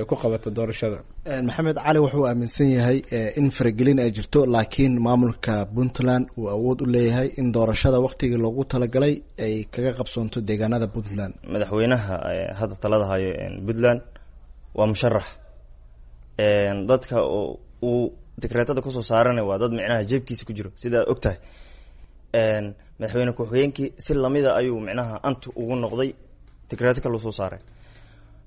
ku qabato doorashada.
Maxamed Cali wuxuu aaminsan yahay in faragelin ay jirto, laakiin maamulka Puntland uu awood u leeyahay in doorashada waktigii loogu talagalay ay kaga qabsoonto deegaanada Puntland.
Madaxweynaha hadda talada hayo Puntland waa musharax. Dadka uu dekreetada kusoo saarana waa dad micnaha jeebkiisa ku jiro, sidaa og tahay. Madaxweyne ku-xigeenkii si lamida ayuu micnaha antu ugu noqday, dekreeto kaluu soo saaray.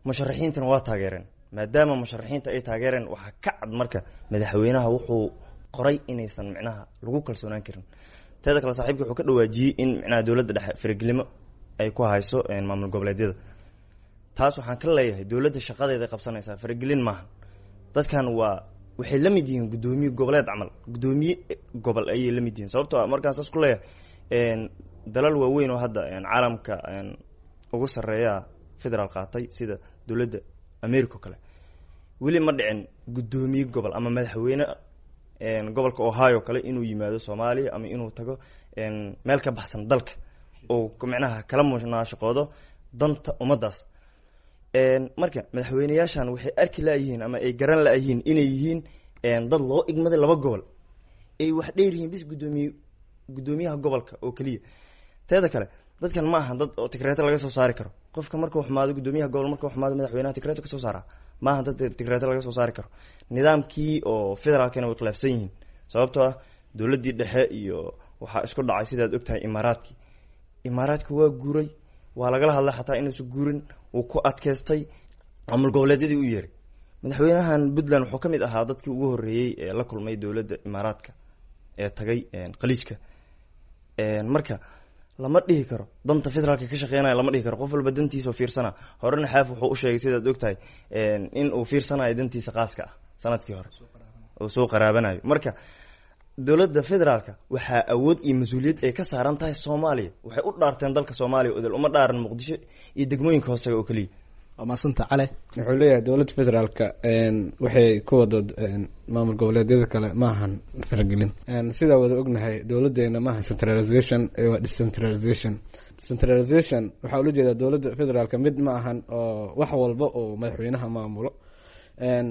Musharaxiintana waa taageereen. Maadaama musharaxiinta ay taageereen, waxaa ka cad marka madaxweynaha wuxuu qoray inaysan micnaha lagu kalsoonaan karin. Teeda kale, saaxiibkii wuxuu ka dhawaajiyey in micnaha dowladda dhexe faragelimo ay ku hayso maamul goboleedyada. Taas waxaan ka leeyahay, dowladda shaqadeeda qabsanaysaa, faragelin maaha. Dadkan waa waxay la mid yihiin guddoomiye goboleed camal, guddoomiye gobol ayay la mid yihiin. Sababtoo ah markaan saas ku leeyahay, dalal waaweyn oo hadda caalamka ugu sarreeya federaal qaatay, sida dowladda America oo kale, weli ma dhicin guddoomiye gobol ama madaxweyne gobolka Ohio kale inuu yimaado Soomaaliya ama inuu tago meel ka baxsan dalka oo micnaha kala munaashaqoodo danta ummaddaas. Marka madaxweyneyaashan waxay arki laayihiin ama ay garan laayihiin inay yihiin dad loo igmaday laba gobol, ay wax dheer yihiin bis guddoomiyaha gobolka oo keliya. Teeda kale, dadkan ma aha dad oo tikreeto laga soo saari karo. Qofka markuu xumaado, guddoomiyaha gobol markuu xumaado, madaxweynaha tikreeto kasoo saaraa. Maaha dad tikreeto laga soo saari karo. Nidaamkii oo federaalkana way khilaafsan yihiin, sababtoo ah dowladdii dhexe iyo waxaa isku dhacay, sidaad ogtahay, Imaaraadkii. Imaaraadka waa guuray, waa lagala hadlay xataa inuusan guurin, wuu ku adkeystay, maamul goboleedyadii u yeeray. Madaxweynahan Puntland wuxuu ka mid ahaa dadkii ugu horreeyey ee la kulmay dowladda Imaaraadka. ee tagay Khaliijka. Marka lama dhihi karo danta federaalka ka shaqeynaya, lama dhihi karo. Qof walba dantiisa oo fiirsana. Horena Xaaf wuxuu u sheegay, sidaad ogtahay, in uu fiirsanayo dantiisa qaaska ah, sanadkii hore uu soo qaraabanayo. Marka dowladda federaalka waxaa awood iyo mas-uuliyad ay ka saaran tahay Soomaaliya. Waxay u dhaarteen dalka Soomaaliya odol, uma dhaaran Muqdisho iyo degmooyinka hoostaga oo keliya.
Waa maasanta, Cale.
Wuxuu leeyahay dowladda federaalka waxay ku wado maamul goboleedyada kale maahan faragelin. Sidaa wada ognahay, dowladeena maahan centralization, waa decentralization. Centralization waxaa ula jeedaa dowladda federaalka mid ma ahan oo wax walba oo madaxweynaha maamulo.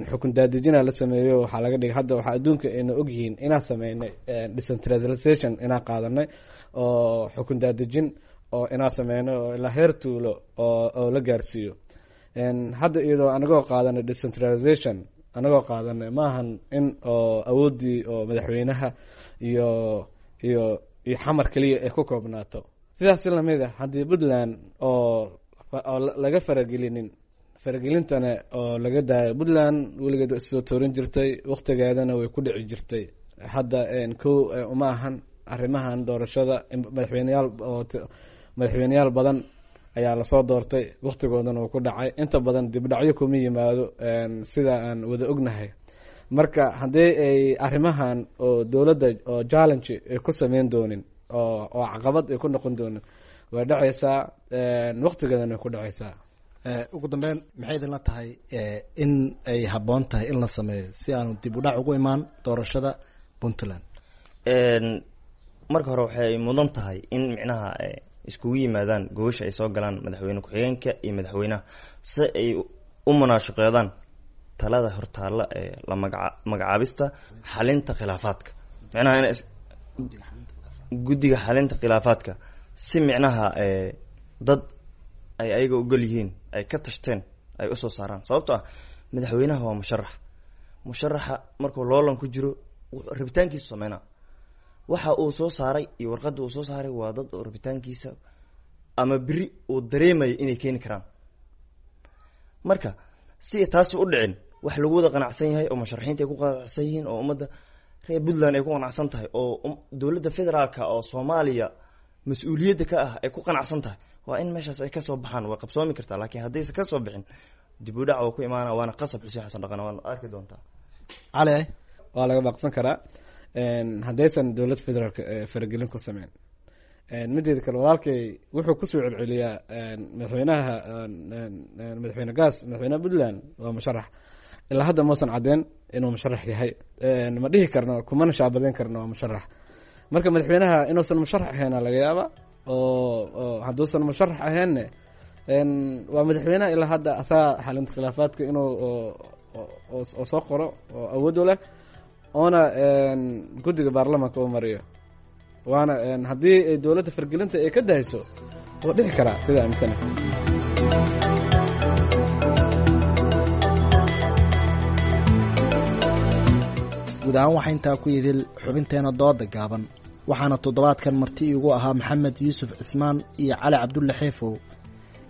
Xukun daadejina la sameeyo waxaa laga dhigay. Hadda waxaa adduunka ayna ogyihiin inaan sameynay decentralization, inaan qaadanay oo xukun daadejin oo inaan sameynay oo ilaa heer tuulo oo la gaarsiiyo. Hadda iyadoo anagoo qaadanay decentralization, anagoo qaadanay, maahan in oo awooddii oo madaxweynaha iyo Xamar keliya ay ku koobnaato. Sidaas lamid ah, haddii Puntland oo laga faragelinin, faragelintana oo laga daayo, Puntland weligeed waa issoo toorin jirtay, waqtigeedana way ku dhici jirtay. Hadda kow uma ahan arrimahan doorashada. Madaxweyneyaal oo madaxweyneyaal badan ayaa lasoo doortay, waqtigoodana uu ku dhacay. Inta badan dibdhacyo kuma yimaado, sida aan wada ognahay. Marka haddii ay arrimahan oo dowladda oo challenge ay ku sameyn doonin oo caqabad ay ku noqon doonin, way dhacaysaa, waqtigeedana way ku dhacaysaa.
Ugu dambeyn, maxay idinla tahay in ay habboon tahay in la sameeyo si aanu dib u dhac ugu imaan doorashada Puntland?
Marka hore waxay mudan tahay in micnaha iskugu yimaadaan, gogosha ay soo galaan madaxweyne ku-xigeenka iyo madaxweynaha, si ay u munaashaqeedaan talada hortaalla ee la magacaabista xalinta khilaafaadka, micnaha in guddiga xalinta khilaafaadka, si micnaha dad ay ayaga ogol yihiin, ay ka tashteen, ay usoo saaraan. Sababto ah madaxweynaha waa musharax. Musharaxa markuu loolan ku jiro rabitaankiisu sameynaa. Waxa uu soo saaray iyo warqadda uu soo saaray waa dad oo rabitaankiisa ama beri uu dareemayo inay keeni karaan. Marka si taasi u dhicin, wax lagu wada qanacsan yahay oo musharaxiinta ay ku qanacsan yihiin oo ummadda reer Puntland ay ku qanacsan tahay oo dowladda federaalka oo Soomaaliya mas-uuliyadda ka ah ay ku qanacsan tahay, waa in meeshaas ay kasoo baxaan. Way qabsoomi kartaa, laakiin haddaysa kasoo bixin, dib u dhac waa ku imaana, waana qasab. Xuseen Xasan Dhaqan, waana arki doontaa.
Cali.
Waa laga baaqsan karaa haddaysan dowladda federaalka faragelin ku sameyn. Mideeda kale, walaalkay wuxuu kusoo celceliyaa madaxweynaha, madaxweyne Gaas, madaxweynaha Puntland waa musharax. Ilaa hadda mausan caddeyn inuu musharax yahay. Ma dhihi karno, kumana shaabadeyn karno waa musharax. Marka madaxweynaha inuusan musharax ahayn laga yaaba, oo hadduusan musharax ahaynne, waa madaxweynaha ilaa hadda asaa xalinta khilaafaadka inuu oo soo qoro oo awood u leh, oona guddiga baarlamaanka uu mariyo. Waana haddii ay dowladda fargelinta ay ka dahayso, wuu dhici karaa sida aaminsana.
Guud ahaan waxaa intaa ku idil xubinteena dooda gaaban. Waxaana toddobaadkan marti iigu ahaa Maxamed Yuusuf Cismaan iyo Cali Cabdulle Xeefow.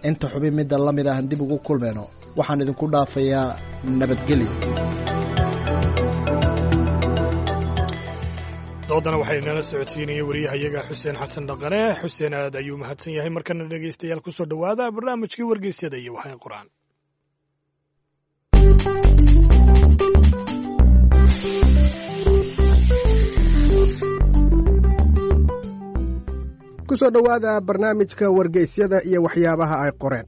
Inta xubin midda la mid ahan dib ugu kulmayno, waxaan idinku dhaafayaa nabadgelyo.
Doodana waxay inala socodsiinayay wariyahayaga Xuseen Xasan Dhaqane. Xuseen aad ayuu mahadsan yahay. Markana dhegaystayaal, kusoo dhowaada barnaamijkii wargeysyada iyo waxay qoraan.
Kusoo dhowaada barnaamijka wargeysyada iyo waxyaabaha ay qoreen.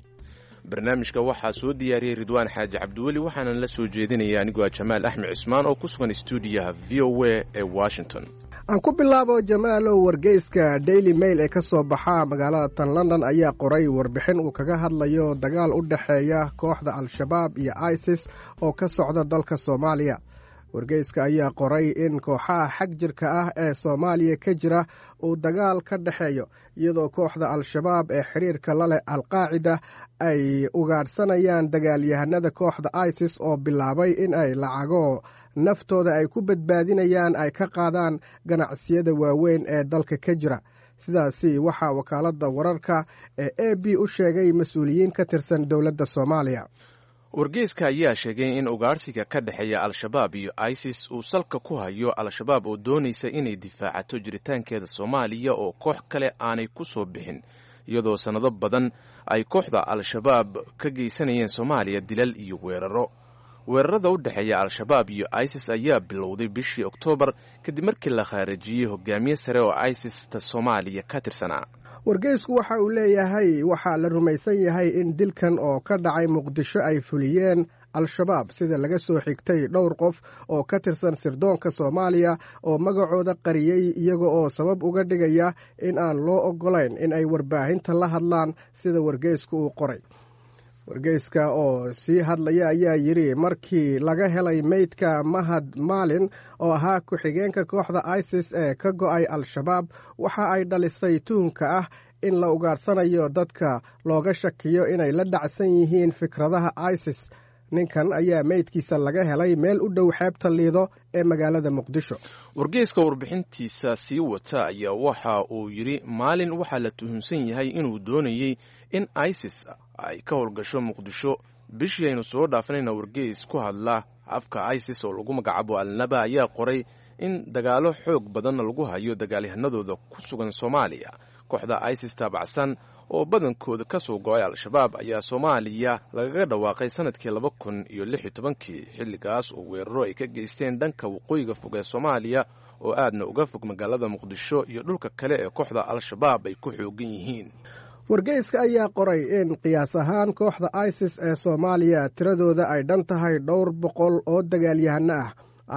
Barnaamijka waxaa soo diyaariyey Ridwaan Xaaji Cabdiweli, waxaanan la soo jeedinaya anigoo ah Jamaal Axmed Cismaan oo ku sugan stuudiyaha VOA ee Washington.
Aan ku bilaabo, Jamaalow. Wargeyska Daily Mail ee ka soo baxa magaalada tan London ayaa qoray warbixin uu kaga hadlayo dagaal u dhexeeya kooxda Al-Shabaab iyo ISIS oo ka socda dalka Soomaaliya. Wargeyska ayaa qoray in kooxaha xag jirka ah ee Soomaaliya ka jira uu dagaal ka dhexeeyo, iyadoo kooxda Al-Shabaab ee xiriirka la leh Al-Qaacida ay ugaadhsanayaan dagaalyahanada kooxda ISIS oo bilaabay in ay lacago naftooda ay ku badbaadinayaan ay ka qaadaan ganacsiyada waaweyn ee dalka ka jira. Sidaasi waxaa wakaaladda wararka ee AP u sheegay mas-uuliyiin ka tirsan dowladda Soomaaliya.
Wargeyska ayaa sheegay in ugaarsiga ka dhexeeya Al-Shabaab iyo ISIS uu salka ku hayo Al-Shabaab oo doonaysa inay difaacato jiritaankeeda Soomaaliya oo koox kale aanay ku soo bixin, iyadoo sannado badan ay kooxda Al-Shabaab ka geysanayeen Soomaaliya dilal iyo weeraro. Weerarada u dhexeeya Al-Shabaab iyo ISIS ayaa bilowday bishii Oktoobar kadib markii la khaarijiyey hogaamiye sare oo ISIS-ta Soomaaliya ka tirsanaa.
Wargeysku waxa uu leeyahay waxaa la rumaysan yahay in dilkan oo ka dhacay Muqdisho ay fuliyeen Al-Shabaab, sida laga soo xigtay dhowr qof oo ka tirsan sirdoonka Soomaaliya oo magacooda qariyey, iyaga oo sabab uga dhigaya in aan loo oggolayn in ay warbaahinta la hadlaan, sida wargeysku uu qoray. Wargeyska oo sii hadlaya ayaa yidhi markii laga helay meydka Mahad Maalin oo ahaa ku-xigeenka kooxda ISIS ee ka go'ay Al-Shabaab, waxa ay dhalisay tuhunka ah in la ugaarsanayo dadka looga shakiyo inay la dhacsan yihiin fikradaha ISIS. Ninkan ayaa meydkiisa laga helay meel u dhow xeebta Liido ee magaalada Muqdisho.
Wargeyska warbixintiisa sii wata ayaa waxa uu yidhi Maalin waxaa la tuhunsan yahay inuu doonayey in ISIS ay ka howlgasho Muqdisho. Bishii aynu soo dhaafanayna, wargeys ku hadla afka ISIS oo lagu magacaabo Alnaba ayaa qoray in dagaalo xoog badan lagu hayo dagaalyahanadooda ku sugan Soomaaliya. Kooxda ISIS taabacsan oo badankooda ka soo go'ay Al-Shabaab ayaa Soomaaliya lagaga dhawaaqay sanadkii 2016-kii, xilligaas oo weeraro ay ka geysteen dhanka waqooyiga fog ee Soomaaliya oo aadna uga fog magaalada Muqdisho iyo dhulka kale ee kooxda Al-Shabaab ay ku xoogan yihiin.
Wargeyska ayaa qoray in qiyaas ahaan kooxda ISIS ee Soomaaliya tiradooda ay dhan tahay dhowr boqol oo dagaalyahano ah.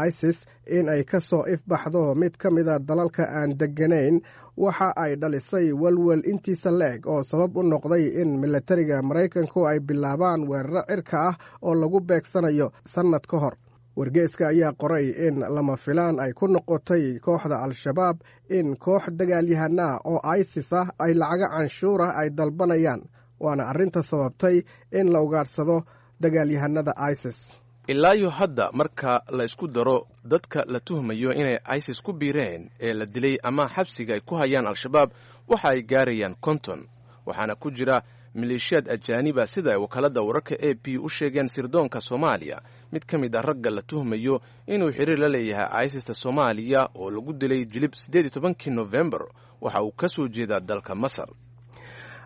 ISIS in ay ka soo ifbaxdo mid ka mida dalalka aan degganayn waxa ay dhalisay walwal intiisa la-eg oo sabab u noqday in milatariga Maraykanku ay bilaabaan weeraro cirka ah oo lagu beegsanayo sannad ka hor. Wargeyska ayaa qoray in lama filaan ay ku noqotay kooxda Al-Shabaab in koox dagaalyahanaa oo ISIS ah ay lacago canshuurah ay dalbanayaan, waana arrinta sababtay in la ugaadhsado dagaalyahanada ISIS.
Ilaayo hadda, marka la isku daro dadka la tuhmayo inay ISIS ku biireen ee la dilay ama xabsiga ay ku hayaan Al-Shabaab, waxa ay gaarayaan 50, waxaana ku jira maleeshiyaad ajaaniba, sida ay wakaaladda wararka AP u sheegeen sirdoonka Soomaaliya. Mid ka mid ah ragga la tuhmayo inuu xiriir la leeyahay ISISta Soomaaliya oo lagu dilay Jilib 18-kii Nofembar waxa uu ka soo jeedaa dalka Masar.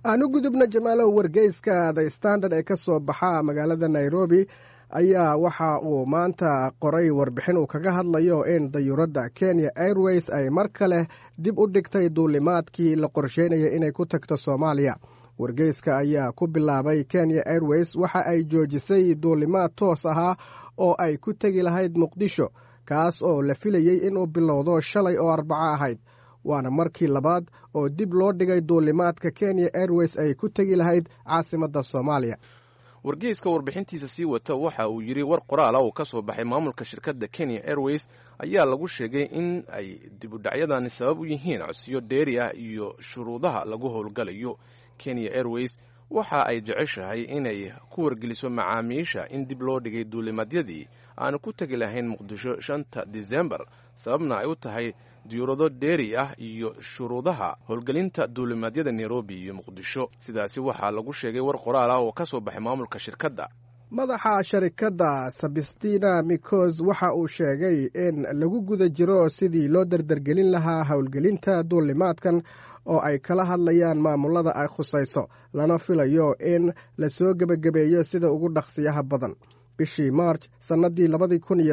Aan u gudubna, Jamaalow, wargeyska The Standard ee ka soo baxa magaalada Nairobi ayaa waxa uu maanta qoray warbixin uu kaga hadlayo in dayuuradda Kenya Airways ay mar kale dib u dhigtay duulimaadkii la qorsheynaya inay ku tagto Soomaaliya. Wargeyska ayaa ku bilaabay Kenya Airways waxa ay joojisay duulimaad toos ahaa oo ay ku tegi lahayd Muqdisho, kaas oo la filayey inuu bilowdo shalay oo Arbaco ahayd, waana markii labaad oo dib loo dhigay duulimaadka Kenya Airways ay ku tegi lahayd caasimadda Soomaaliya.
Wargeyska warbixintiisa sii wata waxa uu yidhi war qoraala oo ka soo baxay maamulka shirkadda Kenya Airways ayaa lagu sheegay in ay dibudhacyadani sabab u yihiin codsiyo dheeri ah iyo shuruudaha lagu howlgalayo. Kenya Airways waxa ay jeceshahay inay ku wargeliso macaamiisha in dib loo dhigay duulimadyadii aanu ku tegi lahayn Muqdisho 5-ta Disembar, sababna ay u tahay diyuurado dheeri ah iyo shuruudaha howlgelinta duulimaadyada Nairobi iyo Muqdisho. Sidaasi waxaa lagu sheegay war qoraal ah oo ka soo baxay maamulka shirkadda.
Madaxa sharikadda Sabistina Mikos waxa uu sheegay in lagu guda jiro sidii loo dardargelin lahaa howlgelinta duulimaadkan oo ay kala hadlayaan maamulada ay khusayso, lana filayo in lasoo gebagabeeyo sida ugu dhaqsiyaha badan. Bishii Maarj sannaddii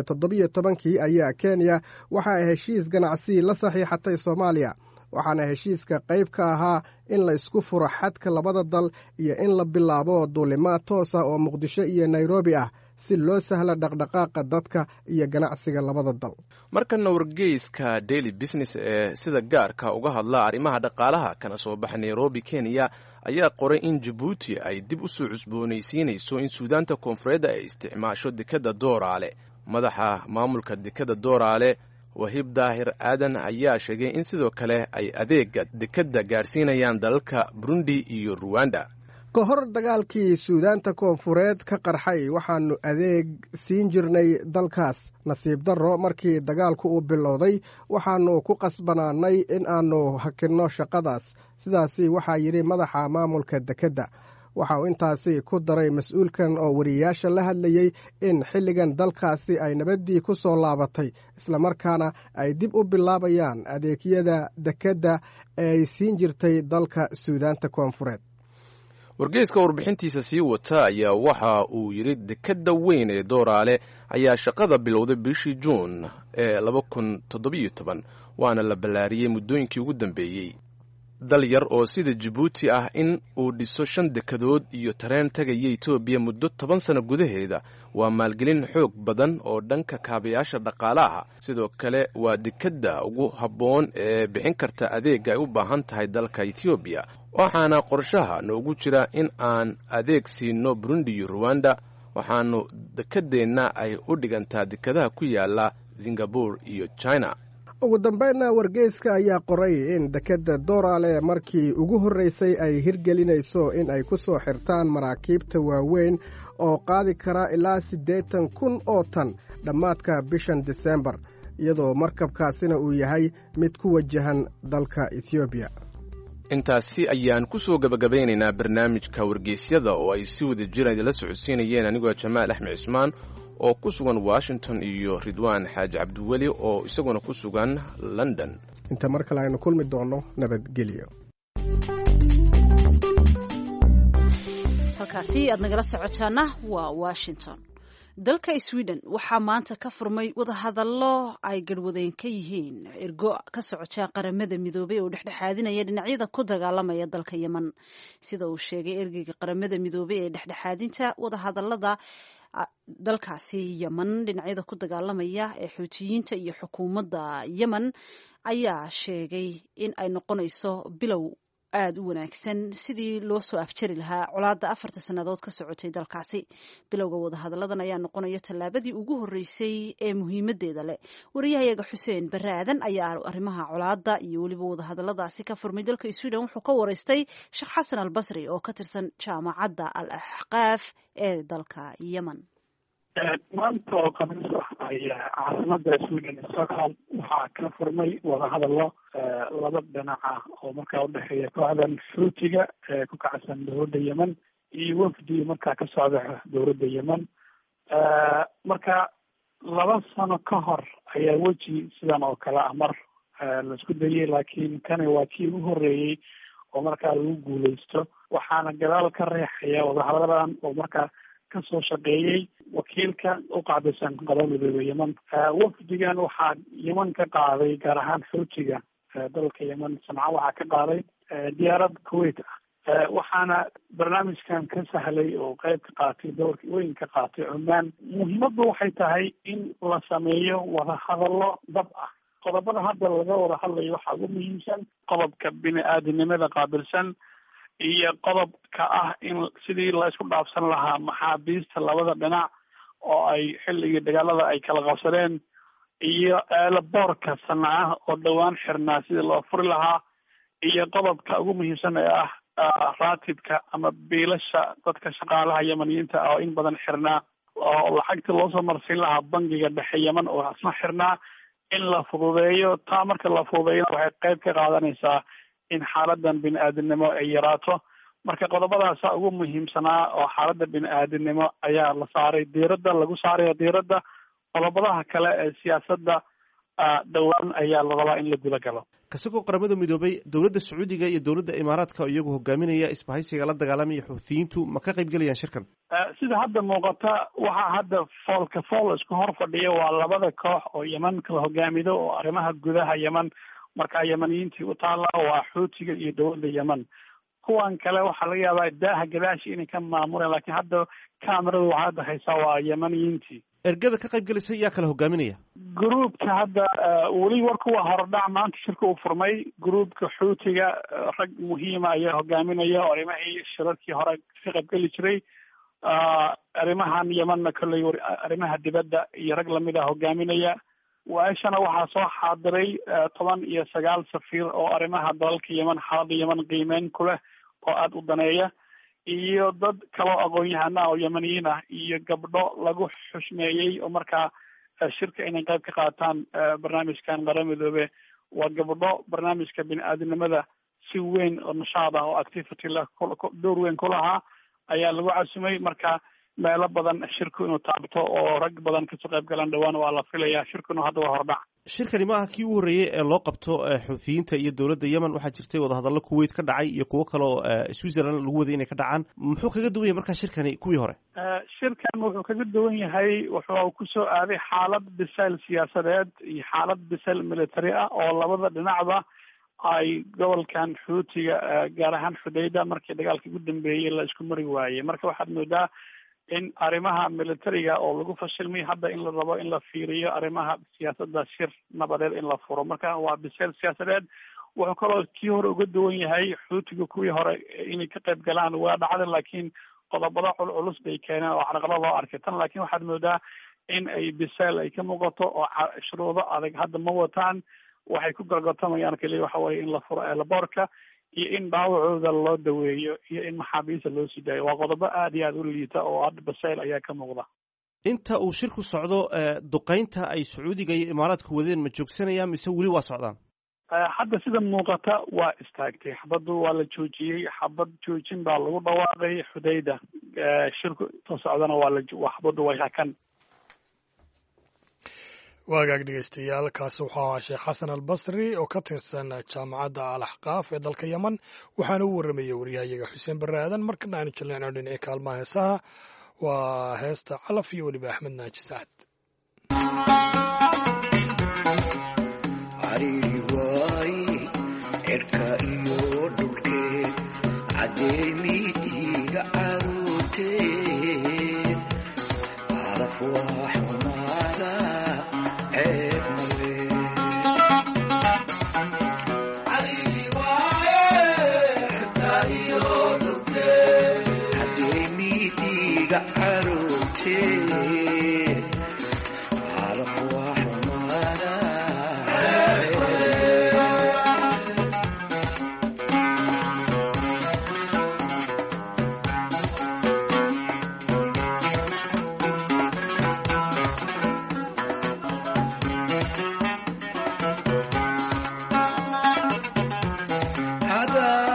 2017-kii ayaa Kenya waxa ay heshiis ganacsi la saxiixatay Soomaaliya, waxaana heshiiska qayb ka ahaa in la isku furo xadka labada dal iyo in la bilaabo duulimaad toos ah oo Muqdisho iyo Nairobi ah si loo sahlo dhaqdhaqaaqa dadka iyo ganacsiga labada dal.
Markana wargeyska Daily Business ee sida gaarka uga hadla arrimaha dhaqaalaha kana soo baxa Nairobi, Kenya ayaa qoray in Jabuuti ay dib u soo cusboonaysiinayso in Suudaanta Koonfureed ay isticmaasho dekadda Dooraale. Madaxa maamulka dekadda Dooraale, Wahiib Daahir Aadan, ayaa sheegay in sidoo kale ay adeega dekadda gaarsiinayaan dalalka Burundi iyo Ruwanda.
Ka hor dagaalkii Suudaanta Koonfureed ka qarxay, waxaannu adeeg siin jirnay dalkaas. Nasiib darro, markii dagaalku uu bilowday, waxaannu ku qasbanaanay in aannu hakinno shaqadaas, sidaasi waxaa yidhi madaxa maamulka dekedda. Waxa uu intaasi ku daray mas-uulkan oo wariyayaasha la hadlayey in xilligan dalkaasi ay nabaddii ku soo laabatay, islamarkaana ay dib u bilaabayaan adeegyada dekedda ee ay siin jirtay dalka Suudaanta Koonfureed.
Wargeyska warbixintiisa sii wata ayaa waxa uu yidhi dekedda weyn ee Dooraale ayaa shaqada bilowday bishii Juun ee 2017, waana la ballaariyey muddooyinkii ugu dambeeyey. Dal yar oo sida Jabuuti ah in uu dhiso shan dekadood iyo tareen tagaya Etoobiya muddo 10 sano gudaheeda waa maalgelin xoog badan oo dhanka kaabayaasha dhaqaalaha. Sidoo kale waa dekedda ugu habboon ee bixin karta adeega ay u baahan tahay dalka Etoobiya, waxaana qorshaha noogu jira in aan adeeg siino Burundi iyo Ruwanda. Waxaanu dekedeenna ay u dhigantaa dekadaha ku yaala Singabore iyo China.
Ugu dambeynna, wargeyska ayaa qoray in dekedda Dooraale markii ugu horreysay ay hirgelinayso in ay ku soo xirtaan maraakiibta waaweyn oo qaadi kara ilaa 80,000 oo tan dhammaadka bishan Disembar, iyadoo markabkaasina uu yahay mid ku wajahan dalka Etoobiya.
Intaasi ayaan ku soo gabagabeynaynaa barnaamijka Wargeysyada oo ay si wada jira idinla socodsiinayeen anigoo Jamaal Axmed Cismaan oo ku sugan Washington iyo Ridwaan Xaaji Cabdiweli oo isaguna ku sugan London.
Inta mar kale aynu kulmi doonno, nabadgelyo.
Halkaasi aad nagala socotaana waa Washington. Dalka Sweden waxaa maanta ka furmay wadahadallo ay garhwadeen ka yihiin ergo ka socota Qaramada Midoobay oo dhexdhexaadinaya dhinacyada ku dagaalamaya dalka Yemen. Sida uu sheegay ergeyga Qaramada Midoobay ee dhexdhexaadinta wadahadalada dalkaasi Yemen, dhinacyada ku dagaalamaya ee Xuutiyiinta iyo xukuumadda Yemen ayaa sheegay in ay noqonayso bilow aada u wanaagsan sidii loo soo afjari lahaa colaadda 4ta sannadood ka socotay dalkaasi. Bilowga wadahadalladan ayaa noqonaya tallaabadii ugu horreysay ee muhiimadeeda leh. Wariyahayaga Xuseen Barre Aadan ayaa arrimaha colaadda iyo weliba wadahadalladaasi ka furmay dalka Sweden wuxuu ka wareystay Sheekh Xasan Albasri oo ka tirsan Jaamacadda Al Axqaaf ee dalka Yemen.
Maanta oo Khamiis ah ayaa caasimada Sweden, Stockholm, waxaa ka furmay wadahadallo laba dhinac ah oo markaa udhexeeya kooxdan Xuutiga ee ku kacsan dowladda Yemen iyo wafdi markaa ka socda dowladda Yemen. Marka 2 sano ka hor ayaa weji sidan oo kale ah mar laisku dayay, laakiin kani waa kii ugu horreeyey oo markaa lagu guuleysto. Waxaana gadaal ka riixaya wadahadalladan oo markaa kasoo shaqeeyey wakiilka u qaabilsan Qaramada Midoobe Yemen. Wafdigan waxaa Yemen ka qaaday, gaar ahaan Xuutiga dalka Yemen, Sanca waxaa ka qaaday diyaarad Kuwait ah, waxaana barnaamijkan ka sahlay oo qeyb ka qaatay, doorka weyn ka qaatay Cumaan. Muhiimaddu waxay tahay in la sameeyo wadahadallo dab ah. Qodobada hadda laga wada hadlayo waxaa ugu muhiimsan qodobka bini-aadinimada qaabilsan iyo qodobka ah in sidii la isku dhaafsan lahaa maxaabiista labada dhinac oo ay xilligii dagaalada ay kala qabsadeen, iyo eelaboorka Sanca oo dhowaan xirnaa sidii loo furi lahaa, iyo qodobka ugu muhiimsan ee ah raatibka ama biilasha dadka shaqaalaha Yemaniyiinta ah oo in badan xirnaa, oo lacagta loosoo marsiin lahaa bangiga dhexe Yemen oo isna xirnaa in la fududeeyo. Taa marka la fududeeyona waxay qayb ka qaadanaysaa in xaaladan bini-aadinimo ay yaraato. Marka qodobadaasa ugu muhiimsanaa oo xaaladda bini-aadinimo ayaa la saaray diiradda, lagu saaraya diiradda. Qodobadaha kale ee siyaasadda dhowaan ayaa la rabaa in la guda galo.
Kasagoo Qaramada Midoobay, dowladda Sacuudiga iyo dowladda Imaaraadka oo iyagu hogaaminaya isbahaysiga la dagaalamaya Xuutiyiintu ma ka qayb gelayaan shirkan?
Sida hadda muuqata, waxaa hadda foolka fool isku hor fadhiya waa labada koox oo Yemen kala hogaamido oo arrimaha gudaha Yemen markaa Yemeniyiintii u taalla, waa Xuutiga iyo dowladda Yemen. Kuwan kale waxaa laga yaabaa daaha gadaashi inay ka maamuleen, laakiin hadda kameradu waxaa hadda haysaa waa Yemeniyiintii.
Ergada ka qayb gelaysa yaa kala hogaaminaya?
Gruubka hadda weli warku waa horodhac, maanta shirka uu furmay. Gruubka Xuutiga rag muhiima ayaa hogaaminaya oo arrimahii shirarkii hore ka qaybgeli jiray, arrimahan Yemenna kolley arrimaha dibadda iyo rag lamid a hogaaminaya. Waaishana waxaa soo xaadiray 19 safiir oo arrimaha dalalka Yemen, xaaladda Yemen qiimeyn ku leh oo aada u daneeya, iyo dad kaloo aqoon-yahana oo Yemeniyiin ah, iyo gabdho lagu xushmeeyey oo markaa shirka inay qayb ka qaataan barnaamijkan Qaramada Midoobe. Waa gabdho barnaamijka bini-aadinimada si weyn oo nashaad ah oo activity leh door weyn ku lahaa. ayaa lagu casumay. Marka meelo badan shirku inuu taabto oo rag badan kasoo qayb galaan dhowaan waa la filayaa. Shirkuna hadda waa hordhac.
Shirkani ma aha kii ugu horreeyey ee loo qabto Xuuthiyiinta iyo dowladda Yemen. Waxaa jirtay wadahadallo Kuwait ka dhacay iyo kuwo kale oo Switzerland lagu waday inay ka dhacaan. Muxuu kaga duwan yahay markaa shirkani kuwii hore?
Shirkan wuxuu kaga duwan yahay, wuxuu kusoo aaday xaalad bisayl siyaasadeed iyo xaalad bisayl military ah oo labada dhinacba ay gobolkan Xuutiga, gaar ahaan Xudayda, markii dagaalkii ugu dambeeyey la isku mari waayey. Marka waxaad moodaa in arrimaha militariga oo lagu fashilmay, hadda in la rabo in la fiiriyo arrimaha siyaasadda, shir nabadeed in la furo. Marka waa bisayl siyaasadeed. Wuxuu kaloo kii hore uga duwan yahay, Xuutiga kuwii hore inay ka qayb galaan waa dhacda, laakiin qodobada culculus bay keeneen oo carqalo loo arkay tan. Laakiin waxaad moodaa in ay bisayl ay ka muuqato oo shuruudo adag hadda ma wataan. Waxay ku gorgortamayaan keliya waxa weye in la furo eelaboorka iyo in dhaawacooda loo daweeyo iyo in maxaabiista loo sii daayo. Waa qodobo aada iyo aada u liita oo hadda basayl ayaa ka muuqda.
Inta uu shirku socdo, duqeynta ay Sacuudiga iyo Imaaraadku wadeen ma joogsanayaan mise weli waa socdaan?
Hadda sida muuqata waa istaagtay xabaddu, waa la joojiyey. Xabad joojin baa lagu dhawaaqay Xudayda. Shirku inta socdana waa la xabaddu way hakan.
Waagaag dhegeystayaal, kaasi wuxuu ahaa Sheekh Xasan Albasri oo ka tirsan Jaamacadda Al Axqaaf ee dalka Yemen, waxaana u warramayey waryahayaga Xuseen Barre Aadan. Markana aanu jilnayno dhinacii kaalmaha heesaha, waa heesta Calaf iyo weliba Axmed Naaji Sacad.
Cariiri waaye cirka iyo dhulkeed, cadeemidiiga caruurteed, calaf waa xumaada, ceeb male. Cadeemidiiga caruurteed, calaf waa xumaada.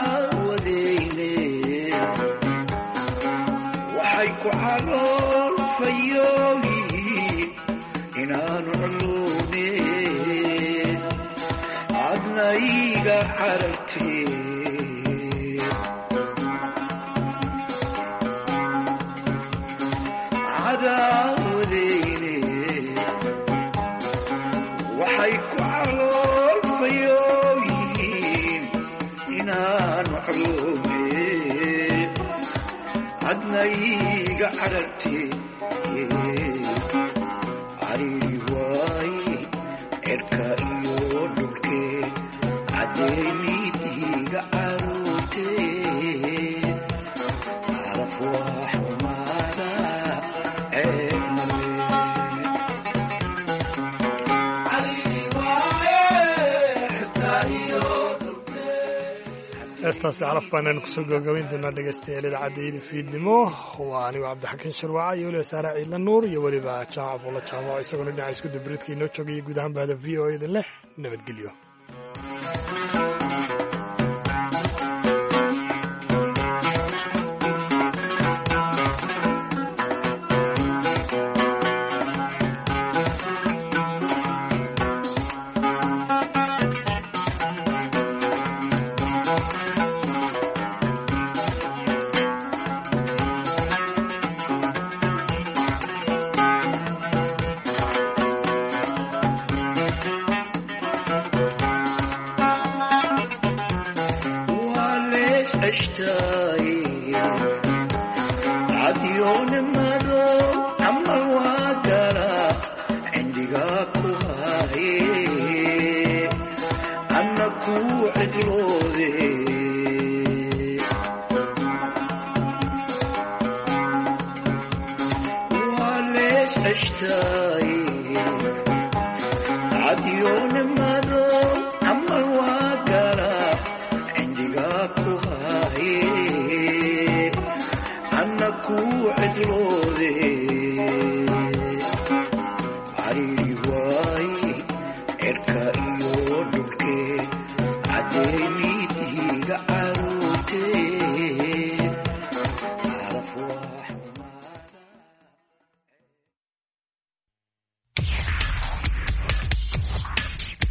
Cadaawadeyne waxay ku calool fayooyihiin inaanu culune, adna iga carartee. Cadaawadeyne waxay ku calool fayooyihiin inaanu culune, adna iga carartee. Cariiri waaye cirka iyo dhulkee, cadeemidiiga caruurtee, calaf waa xumaada, ceeb male.
Heestaasi Calaf baanaan kusoo gabagabayn doonaa dhegeystayaal idaacadda fiidnimo. Waa anigo Cabdixakiin Shirwaca iyo weliba Saare Ciidla Nuur iyo weliba Jaamac Bulla Jaamac, isaguna dhinaca isku dubridka inoo joogaya. Guud ahaan bahda VOA idin leh nabadgelyo.
Waa lees ceshtaaye cadyoone madow camal waa gala cindigaa ku haaye, anna kuu cidloode. Waa lees ceshtaaye cadyoone madow camal waa gala cindigaa ku haaye, anna kuu cidloode. Cariiri waaye cirka iyo dhulkee.